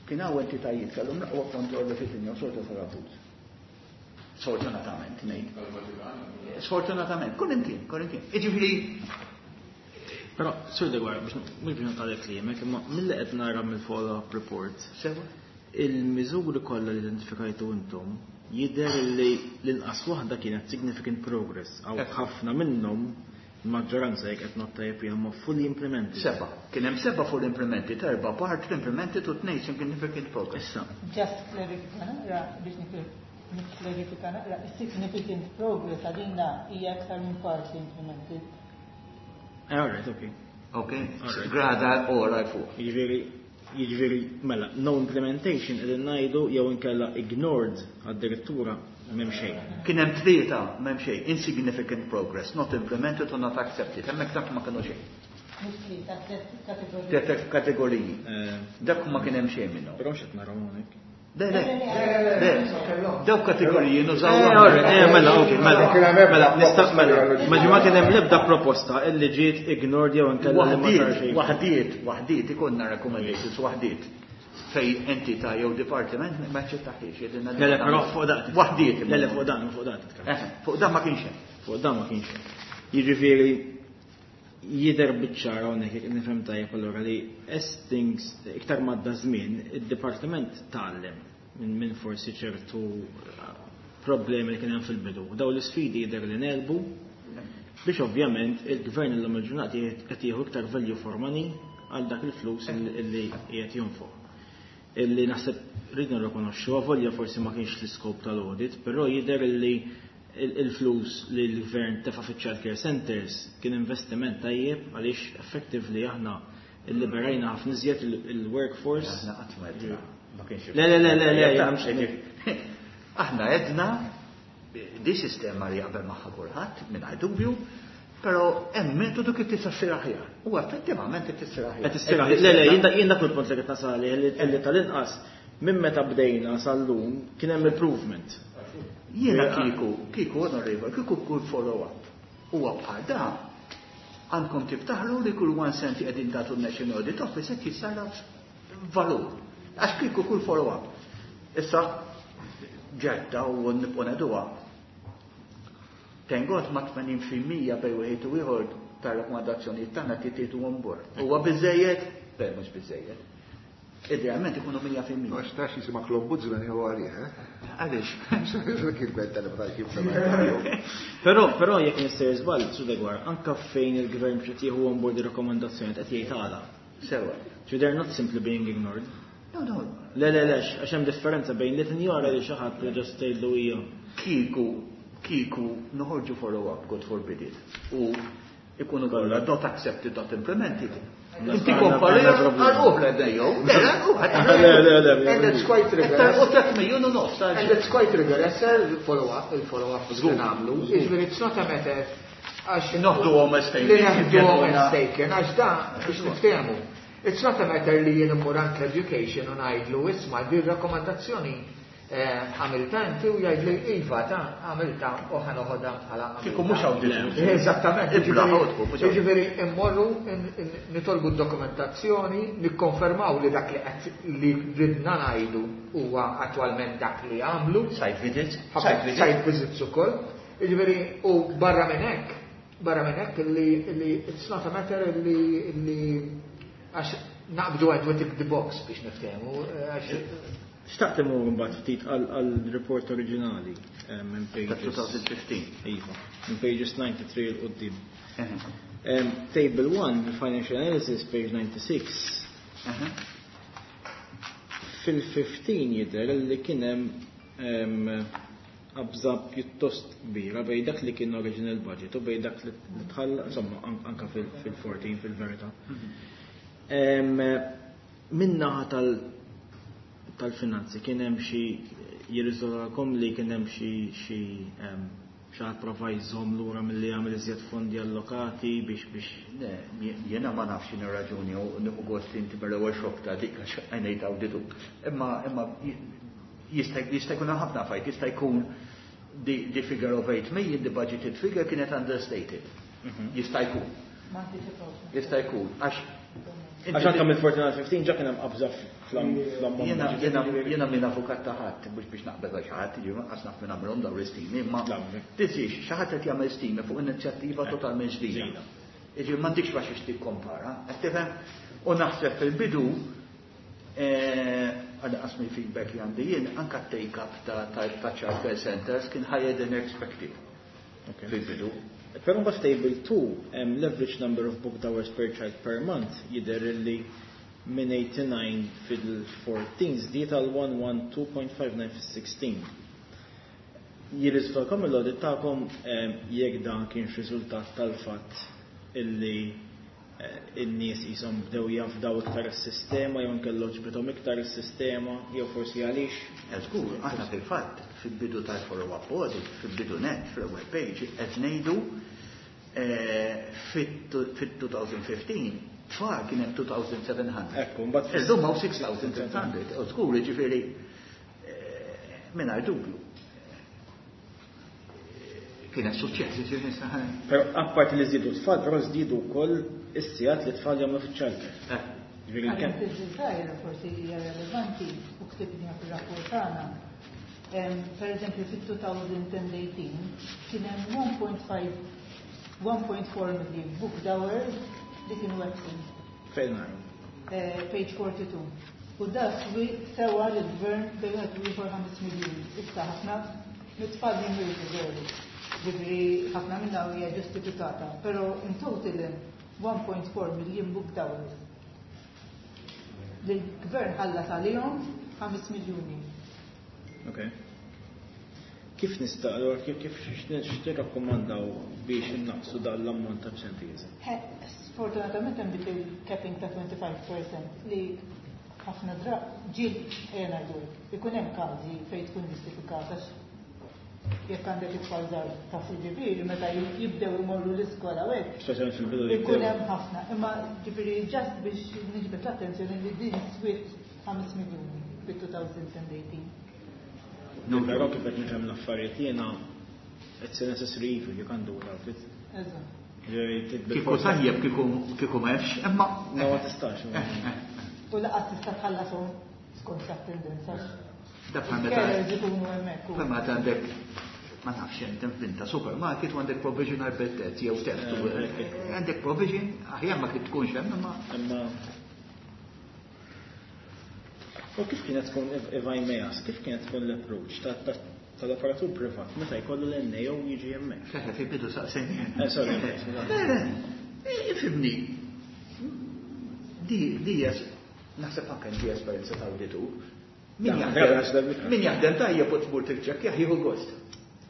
kien hawn entitajiet kellhom l-aqwa kontrolli fid-dinja u xorta sar abbuż. Sfortunatament, ngħid. Sfortunatament, kull imkien, kull imkien. Jiġifieri Però, Sur Deguara, biex mhux biex naqtalek kliemek, imma milli qed nara mill-follow-up report. Sewa. Il-miżuri kollha li identifikajtu intom Jidher li l-inqas waħda kienet significant progress, għaw ħafna minnhom, il-maġġoranza jekk qed ngħod tajjeb jien, huma fully implemented. Seba'. Kien hemm seba' fully implemented, erba' part implemented u tnejn significant progress. Issa. Just clarifika naqra biex nikklarifika naqra, significant progress għalina hija aktar minn partly implemented. All right, okay. Okay, grada ora fuq. Jiġifieri, mela, no implementation qegħdin ngħidu jew inkella ignored addirittura m'hemm xejn. Kien hemm tlieta m'hemm xejn, insignificant progress, not implemented or not accepted. Hemmhekk dak ma kienu xejn. Mhux tlieta, tliet kategoriji. Tliet kategoriji. Dak ma kien hemm xejn minnhom. Però x'qed naraw hawnhekk. Le, le, le, dawk kategoriji nużaw. Mela, ok, mela, mela, nista' mela, ma ġimgħa kien hemm l-ebda proposta illi ġiet ignored jew inkella li ma sar xejn. Waħdiet, waħdiet, ikollna recommendations, waħdiet fej entità jew dipartiment ma ċettaħiex. Le, le, però fuq dan. Waħdiet. Le, le, fuq dan, fuq dan titkellem. Fuq dan ma kienx hemm. Fuq dan ma kienx hemm. Jiġifieri jidher biċ-ċar hawnhekk jekk nifhem tajjeb allura li as things iktar madda żmien id-dipartiment tgħallem minn forsi ċertu problemi li kien hemm fil-bidu. Daw l-isfidi jidher li nelbu biex ovvjament il-gvern illum il-ġurnata qed jieħu iktar value for money għal dak il-flus illi qiegħed jonfoq. Illi naħseb rridna nirrikonoxxu, avolja forsi ma kienx l-iskop tal-audit, però jidher illi il-flus li l-gvern tefa' fiċ-child care centers kien investiment tajjeb għaliex effectively aħna illiberajna ħafna iżjed il-workforce. Aħna qatt ma għedna. Ma kienx Le, le, le, le, le, jien mhux Aħna għedna di sistema li jaqbel magħha kulħadd mingħajr dubju, però hemm metodu kif tista' ssir aħjar. U effettivament qed tissir aħjar. Qed issir aħjar. Le, le, jien dak il-punt li qed nasal li tal-inqas minn meta bdejna sal-lum kien hemm improvement. Jiena kieku onorevole, kieku kull follow-up. Huwa bħal da, għandkom tiftaħru li kull 1 cent qegħdin tagħtu n-National Audit Office qed jissarraf valur. Għax kieku kull follow-up. Issa ġedda u nibqgħu ngħiduha. Thank God ma' tmenin fil-mija bejn wieħed u ieħor tar-rakkomandazzjonijiet tagħna titieħdu on board. Huwa biżejjed? Le, mhux biżejjed. Idealment ikunu mija fil-mija. Għax tax jisimak l-ombudsman jew għalih, eh? Għaliex? Kif benta li bħal kif sema'. Però jekk nistgħu żball, Sur Degwar, anka fejn il-gvern biex jieħu on board ir-rakkomandazzjoni qed jgħid għala. Sewa. So they're not simply being ignored. No, no. Le, le, le, għax hemm differenza bejn li tinjora li xi ħadd li ġast tgħidlu hija. Kieku noħorġu follow-up, God forbid it. U ikunu kollha not accepted, not implemented. Inti kompari għal uħra dejjew. Le, le, uħra. Le, le, le, le. And it's quite rigorous. U tliet miljun u nofs, għal And it's quite rigorous, il-follow-up, il-follow-up Żgur. li nagħmlu. Jiġifieri it's not a matter għax Noħdu għom as taken. Li neħdu għom as taken, għax da biex niftehmu. It's not a matter li jien immur anke education u ngħidlu isma' di rakkomandazzjoni għamilta inti u jgħidli iva ta' għamilta u ħa noħodha bħala għamilta. Kieku mhux awditur. Eżattament. Ibla ħodku, mhux awditur. Jiġifieri immorru nitolbu d-dokumentazzjoni, nikkonfermaw li dak li qed li ridna ngħidu huwa attwalment dak li għamlu. Site visits. Ħafna Site visits. Site visits ukoll. Jiġifieri u barra minn hekk, barra minn hekk li it's not a matter li għax naqbdu għed we tick the box biex niftehmu, għax Xtaqt imur mbagħad ftit għal report oriġinali, minn pages Ta' 2015. Iva, minn pages 93 'l quddiem. Table 1, Financial Analysis, page 96. Fil-15 jidher li kien hemm qabża pjuttost kbira bejn dak li kien original budget u bejn dak li tħall, insomma, anka fil-14 fil-verità. Min-naħa tal-finanzi kien hemm xi jirriżolkom li kien hemm xi ħadd prova jżomm lura milli jagħmel iżjed fondi allokati biex Le, jiena ma nafx x'inhi raġuni u nieħu gost li inti mill-ewwel xokk ta' dik għax għajnejt awditu. Imma jista' jkun hemm ħafna affarijiet, jista' jkun the figure of 8 million, the budgeted figure kienet understated. Jista' jkun. Ma anticipawx. Jista' jkun, għax Għax anke mill fourteen għal fifteen ġa kien hemm qabża fl-ammont. Jiena minn avukat ta' ħadd, mhux biex naqbel għal xi ħadd, jiġifieri qas naf minn għamilhom dawn l-istimi, imma La, mhux hekk. tisix, xi ħadd qed jagħmel stimi fuq inizjattiva totalment ġdida. Ġdida. Jiġifieri m'għandikx biex tikkompara, qed tifhem? U naħseb fil-bidu għal mill feedback li għandi jien, anka take-up ta' child care centers kien higher than expected. Fil-bidu. Però mbagħad table 2, l-average number of booked hours per child per month jidher li minn 89 fil-14 żdied għal 112.59 fil-16. Jirriżultalkom l-audit tagħkom jekk dan kienx riżultat tal-fatt illi in-nies qishom bdew jafdaw iktar is-sistema jew inkella għoġbithom iktar is-sistema jew forsi għaliex? Żgur, aħna fil-fatt fil-bidu tal-follow-up audit, fil-bidu net, fil-web page, qed ngħidu fit-2015 tfal kien hemm 2700. Ekku, mbagħad Illum hawn 6600. U żgur, jiġifieri mingħajr dubju. Kienet suċċess, jiġifieri nista' Però apparti li żdiedu tfal, però żdiedu wkoll is-sigħat li tfal jagħmlu fiċ-childcare. Jiġifieri Għalhekk kemm fil-żgħira forsi hija relevanti u ktibniha fir-rapport tagħna. Per eżempju, fit-2018 kien hemm 1.5 1.4 million booked hours li kienu absent. Fejn naraw? Page 42. U da sewa l-gvern bejn wieħed u ieħor 5 miljuni. Issa ħafna mit-tfal jimmirdu veru. Ġifieri ħafna minnha hija ġustifikata, però in total hemm 1.4 million booked hours. L-gvern ħallas għalihom 5 miljuni. Ok. Kif nista' allura kif x'tirrakkomandaw biex innaqsu dan l-ammont ta' absenteeism? Sfortunatament hemm dik il-capping ta' 25% li ħafna ġiel ejja ngħidu hekk, ikun hemm każi fejn tkun ġustifikata jekk għandek it-tfal żgħar ta' ġifieri meta jibdew imorru l-iskola u hekk. Speċjalment fil-bidu Ikun jibdew. hemm ħafna, imma ġifieri just biex niġbed l-attenzjoni li din swiet 5 miljuni fit-2018. No, però kif qed nifhem l-affarijiet jiena it's a necessary evil, you can't do without it. Eżatt. Ġifieri titbil Kieku forsi- tajjeb kieku m'hemmx, imma Ma ma tistax. U laqas tista' tħallasom skont l-attendenza. Da bħal meta Il-carers ikunu hemmhekk u- bħal meta għandek ma nafx inti finta supermarket u għandek provision għal bed jew teft. Għandek provision, aħjar ma kif tkunx hemm imma Imma U kif kienet tkun, if I may ask, kif kienet tkun l-approach tal-operatur privat meta jkollu l-NAO jiġi hemmhekk? Feħe fi bidu saqsejni. Sorry, Le, le, ifhimni. Di hija naħseb anke di esperjenza ta' awditur. Min Da, da, min jaħdem tajjeb u tmur tiċċekkjah jieħu gost.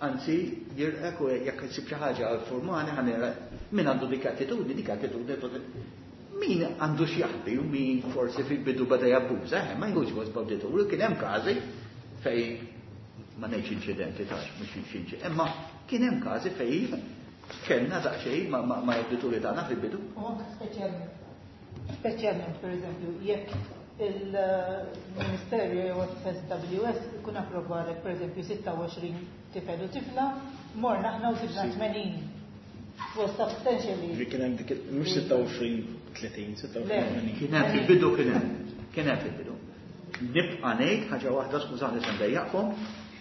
Anzi, jirqek u jekk issib xi ħaġa għal formali ħanera min għandu dik attitudni, dik attitudni min għandu x'jaħbi u min forsi fil-bidu bada jabbuża, ma jħux gost b'awditur, kien hemm każi fej ma ngħidx inċidenti tax, mhux inċidenti, imma kien hemm każi fej kellna daqsxejn ma' awdituri tagħna fil-bidu. U anke speċjalment per eżempju, jekk il-Ministerju jew FSWS ikun approvalek per eżempju 26 tifel u tifla, morna aħna u sibna 80. Was substantially. Ġifieri kien hemm dik mhux 26, 30, 26, Le. 80. Kien hemm fil-bidu kien hemm. Kien hemm fil-bidu. Nibqa' ngħid ħaġa waħda, skużani se ndejjaqkom,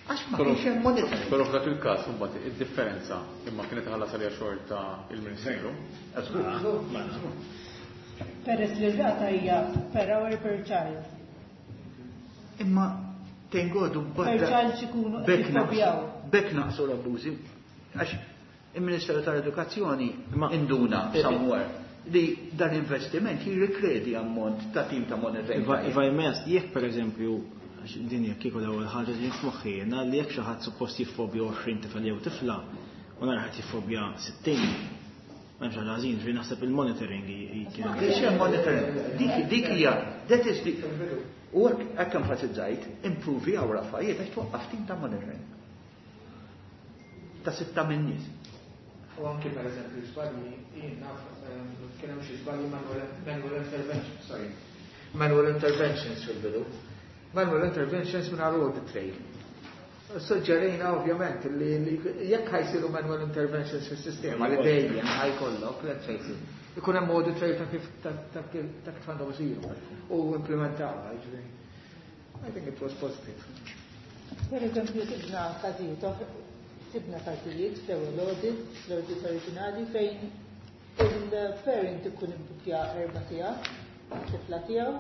għax ma kienx hemm monitoring. Però f'dak il-każ imbagħad id-differenza imma kienet ħallas għaliha xorta il-Ministeru. Żgur. Peress li r-rata hija per hour per child. Imma tengodu Per child xikunu qed jiffobjaw. Bekk naqsu l-abbużi. Għax il-Ministeru tal-Edukazzjoni induna somewhere li dan investiment jirrikredi ammont ta' tim ta' monitoring. If I may ask, jekk per eżempju, għax din jekk kieku l-ewwel ħaġa li f'moħħi jiena li jekk xi ħadd suppost jiffobja 20 tifel jew tifla u nara ħadd jiffobja 60, ma hemmx ħaġa ħażin, ġifieri naħseb il-monitoring kien. Kienx hemm monitoring. Dik hija, that is the u hekk enfasizzajt, improvi għaw raffarijiet għax twaqqaf tim ta' monitoring. Ta' 6 minn nies. U anki per eżempju żbalji, jien naf kien hemm xi żbalji manual intervention, sorry. Manual interventions fil-bidu. Manual interventions minn audit trail. Suġġerejna ovvjament li jekk ħajsiru manual interventions fis-sistema li dejjem ħajkollok, let's face it, ikun hemm audit trail ta' kif ta' kif għandhom isiru u implementawha, jiġifieri. I think it was positive. Per eżempju, sibna każijiet sibna każijiet fl-ewwel audit, l-audit oriġinali fejn il-parent ikun ibbukja 4 sigħat, tifla tiegħu,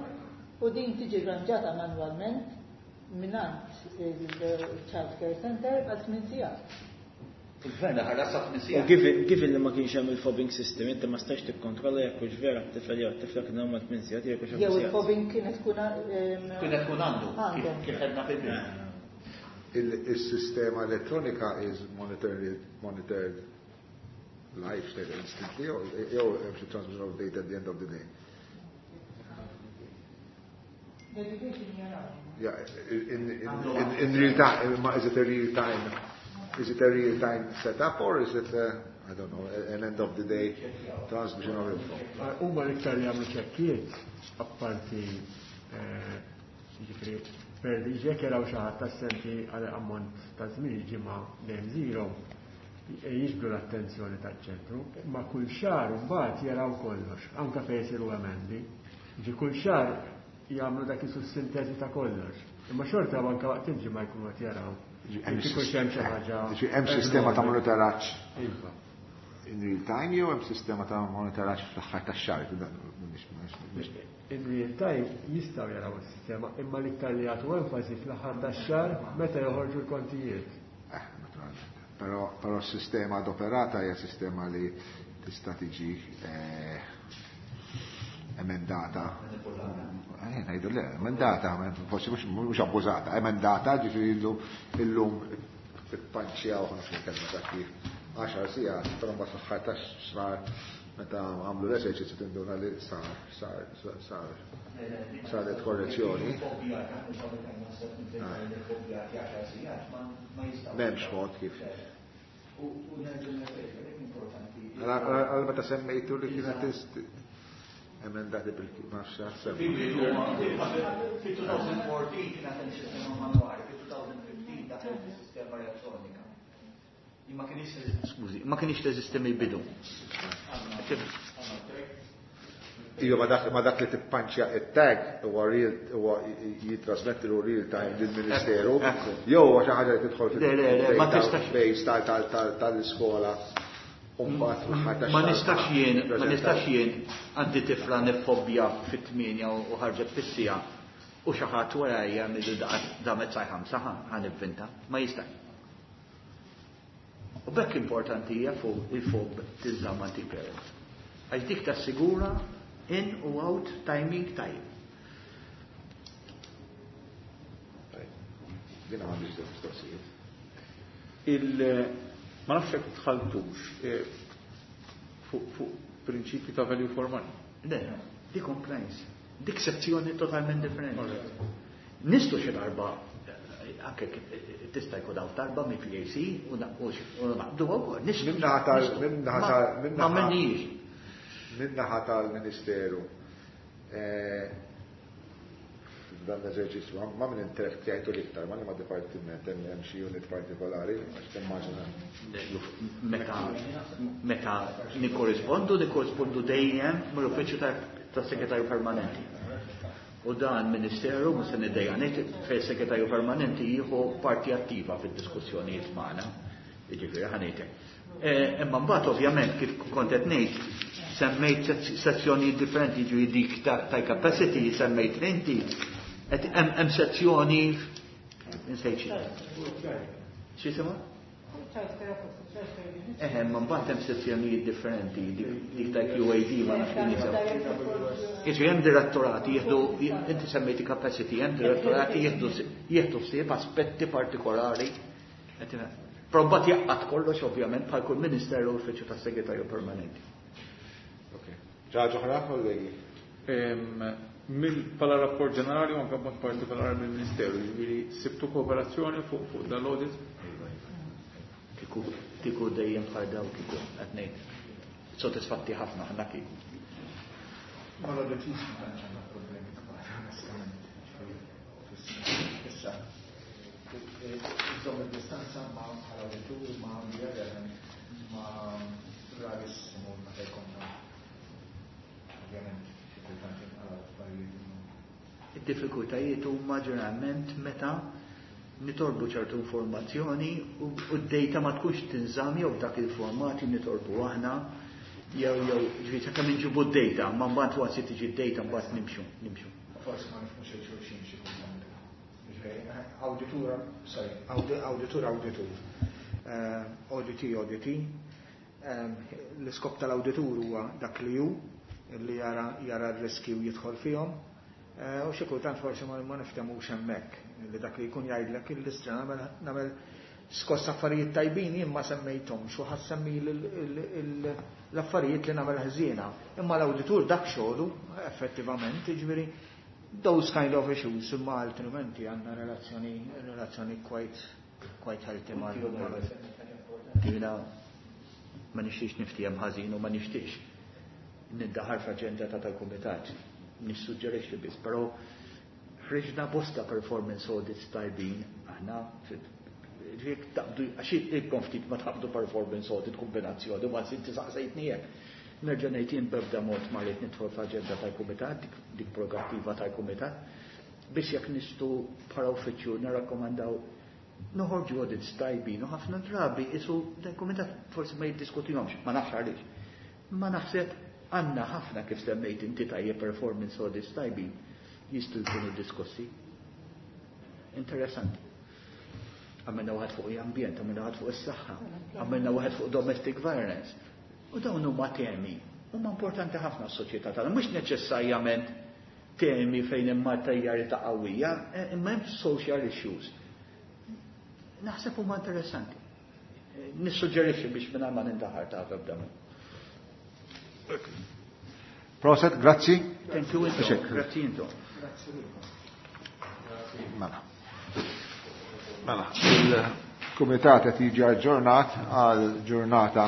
U din tiġi rranġata manwalment mingħand il-Child Care Center għal tmien sigħat. Il-gvern ħallas sa tmien U sigħat. given li ma kienx hemm il-fobbing system, inti ma stax tikkontrolla jekk hux vera t-tifel jew t-tifla kien hemm tmien sigħat jew hux Jew hemm sigħat. il-fobbing kienet tkun Kienet tkun għandu, Għandhom. kif għedna fil-bidu. Il-sistema elettronika is monitored live straight instantly, jew hemm xi transmission of data at the end of the day? L-education jaraw. Yeah, in real time, is it a real time? Is it a real time setup or is it a, I don't know, an end of the day transmission of info? Huma l-iktar li jagħmlu ċekkijiet apparti jiġifieri per li jekk jaraw xi ħadd assenti għal ammont ta' żmien ġimgħa dejjem zero jiġbdu l-attenzjoni taċ-ċentru, ma kull xahar imbagħad jaraw kollox, anke fejn isiru emendi. Ġi kull xahar jagħmlu dak isu sintesi ta' kollox. Imma xorta anke waqt il-ġimgħa jkunu qed jaraw. Jekk ikunx hemm xi ħaġa. Ġi hemm sistema ta' monitoraġġ Iva. in real time jew hemm sistema ta' monitoraġġ fl-aħħar tax-xahar? In real time jistgħu jaraw is-sistema, imma l-iktar li jagħtu enfasi fl-aħħar tax-xahar meta joħorġu l-kontijiet. Naturalment. Però s-sistema adoperata hija sistema li tista' tiġi emendata. Ngħidu le, emendata, forsi mhux abbużata, emendata, ġifieri illum ippanċjaw ħafna kelma ta' kif 10 sigħat, però mbagħad fl-aħħar tax-xahar meta għamlu l-eżerċizzju tinduna li saret korrezzjoni. M'hemmx mod kif. Għal meta semmejtu li kienet emendati bil-ma nafx Fi 2014 kienet hemm sistema manwali, fi 2015 daħlet is-sistema elettronika. Ma kienx, skużi, ma kienx teżisti mill-bidu. Iva, ma dak li tippanċja it-tag huwa real, huwa jitrasmetti l real time lill-Ministeru, jew huwa xi ħaġa li tidħol Le, le, le, ma tistax. fil-base tal-iskola. U mbagħad fl-aħħar Ma tax-xahar nistax jien, ma preżenta. nistax jien għandi tifla nifobbja fit-8 u ħarġet fis-siegħa u xi ħadd warajja mill damet sa 5 ħa nivvinta, ma jistax. U bekk importanti hija fuq il-fob tiżżamm anti-parent. Għax dik tassigura in u out timing tajjeb. Dina m'għandix mistoqsijiet. Ma nafx jekk tħaltux fuq prinċipji ta' value for money. Le, di compliance. Dik sezzjoni totalment differenti. Nistu xi darba anke tista' jkun hawn darba mill-PAC u naqbdu wkoll. Nistu. Min-naħa tal- Nistu. min-naħa Ma- tal- min-naħa- Ma minniex. Min-naħa tal-Ministeru, dan l-eżerċizzju, ma minn interattjajtu l-iktar, ma li ma dipartiment hemm xi unit partikolari, għax timmaġina. Meta nikkorrispondu, nikkorrispondu dejjem mill-uffiċċju tas-segretarju permanenti. U dan ministeru, mhux se niddejja ngħid, fejn segretarju permanenti jieħu parti attiva fid-diskussjonijiet magħna. Jiġifieri ħa ngħidlek. Imma mbagħad ovvjament kif kont qed ngħid, semmejt sezzjonijiet differenti, jiġifieri dik ta' capacity semmejt inti, qed hemm sezzjoni insejt xi. X'isimha? Eħe, ma mbagħad hemm sezzjonijiet differenti, dik ta' QAD ma nafx kien jisimha. Jiġifieri hemm direttorati jieħdu, inti semmejti capacity, hemm direttorati jieħdu ħsieb aspetti partikolari. Però mbagħad jaqgħad kollox ovvjament bħal kull ministeru u l-uffiċċju tas-segretarju permanenti. Ok. Ġaġa oħra, kollegi? Bħala rapport ġenerali u anke b'mod partikolari mill-Ministeru, jiġifieri sibtu kooperazzjoni fuq dal-audit? Kieku dejjem bħal daw kieku qed ngħid. Sodisfatti ħafna aħna kieku. Ma l-audit ma tantx għandna problemi kbar, onestament. Issa, iżomm il-distanza ma bħala awditur ma ma rarissimu meta jkollna ovvjament xi kultant jinqalgħu affarijiet. Id-diffikultajiet huma ġeneralment meta nitolbu ċertu informazzjoni u d-data ma tkunx tinżamm jew f'dak il-format li nitolbu aħna jew ġifieri sakemm inġibu d-data, ma mbagħad waqt li tiġi d-data mbagħad nimxu, nimxu. Forsi ma nifhmux lil xulxin xi kultant. Jiġifieri, awditur, sorry, awditur awditur. Auditee auditee. L-iskop tal-awditur huwa dak li hu, li jara jara r-riski u jidħol fihom. U xi kultant forsi ma niftehmux hemmhekk, li dak li jkun jgħidlek il-listra nagħmel nagħmel skoss affarijiet tajbin jien ma semmejthomx u ħa ssemmili l-affarijiet li nagħmel ħżiena. Imma l-awditur dak xogħlu effettivament, jiġifieri those kind of issues, imma altrimenti għandna relazzjoni relazzjoni quite quite healthy mal. Jiena ma nixtiex niftiehem ħażin u ma nixtiex nindaħar f'aġenda ta' tal-kumitat. Nissuġġerixxi biss, però ħriġna bosta performance audits tajbin aħna ġiek taqbdu għax ilkom ftit ma taqbdu performance audit kombinazzjoni ma inti saqsejtni hekk. Nerġa' ngħid jien b'ebda mod ma rrid nidħol f'aġenda tal-kumitat, dik prerogattiva tal-kumitat, biex jekk nistgħu bħala uffiċċju nirrakkomandaw noħorġu audits tajbin u ħafna drabi isu dal-kumitat forsi ma jiddiskutihomx, ma nafx għaliex. Ma naħseb għandna ħafna kif semmejt inti tajjeb performance audits tajbin jistgħu jkunu diskussi. Interessanti. Għamilna waħed fuq l-ambjent, għamilna waħed fuq is-saħħa, għamilna waħed fuq domestic violence. U dawn huma temi huma importanti ħafna s-soċjetà tagħna, mhux neċessarjament temi fejn hemm materjalità qawwija, imma hemm social issues. Naħseb huma interessanti. Nissuġġerixxi biex minn ma nindaħar ta' ebda mod. Prosit, grazzi. Thank you intom. Grazzi intom. Mela. Mela, il-Kumitat qed jiġi aġġornat għal ġurnata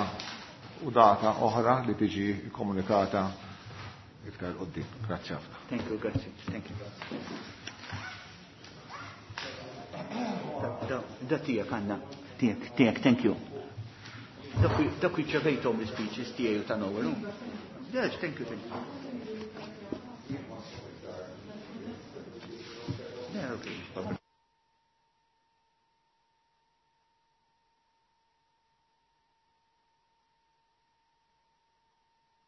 u data oħra li tiġi komunikata iktar quddiem. Grazzi ħafna. Thank you, grazzi. Thank you. Da tiegħek għandna. Tiegħek, tiegħek, thank you. Dak ċevejthom l-speeches tiegħi u ta' Noel. Yes, thank you, thank you. Yeah, okay.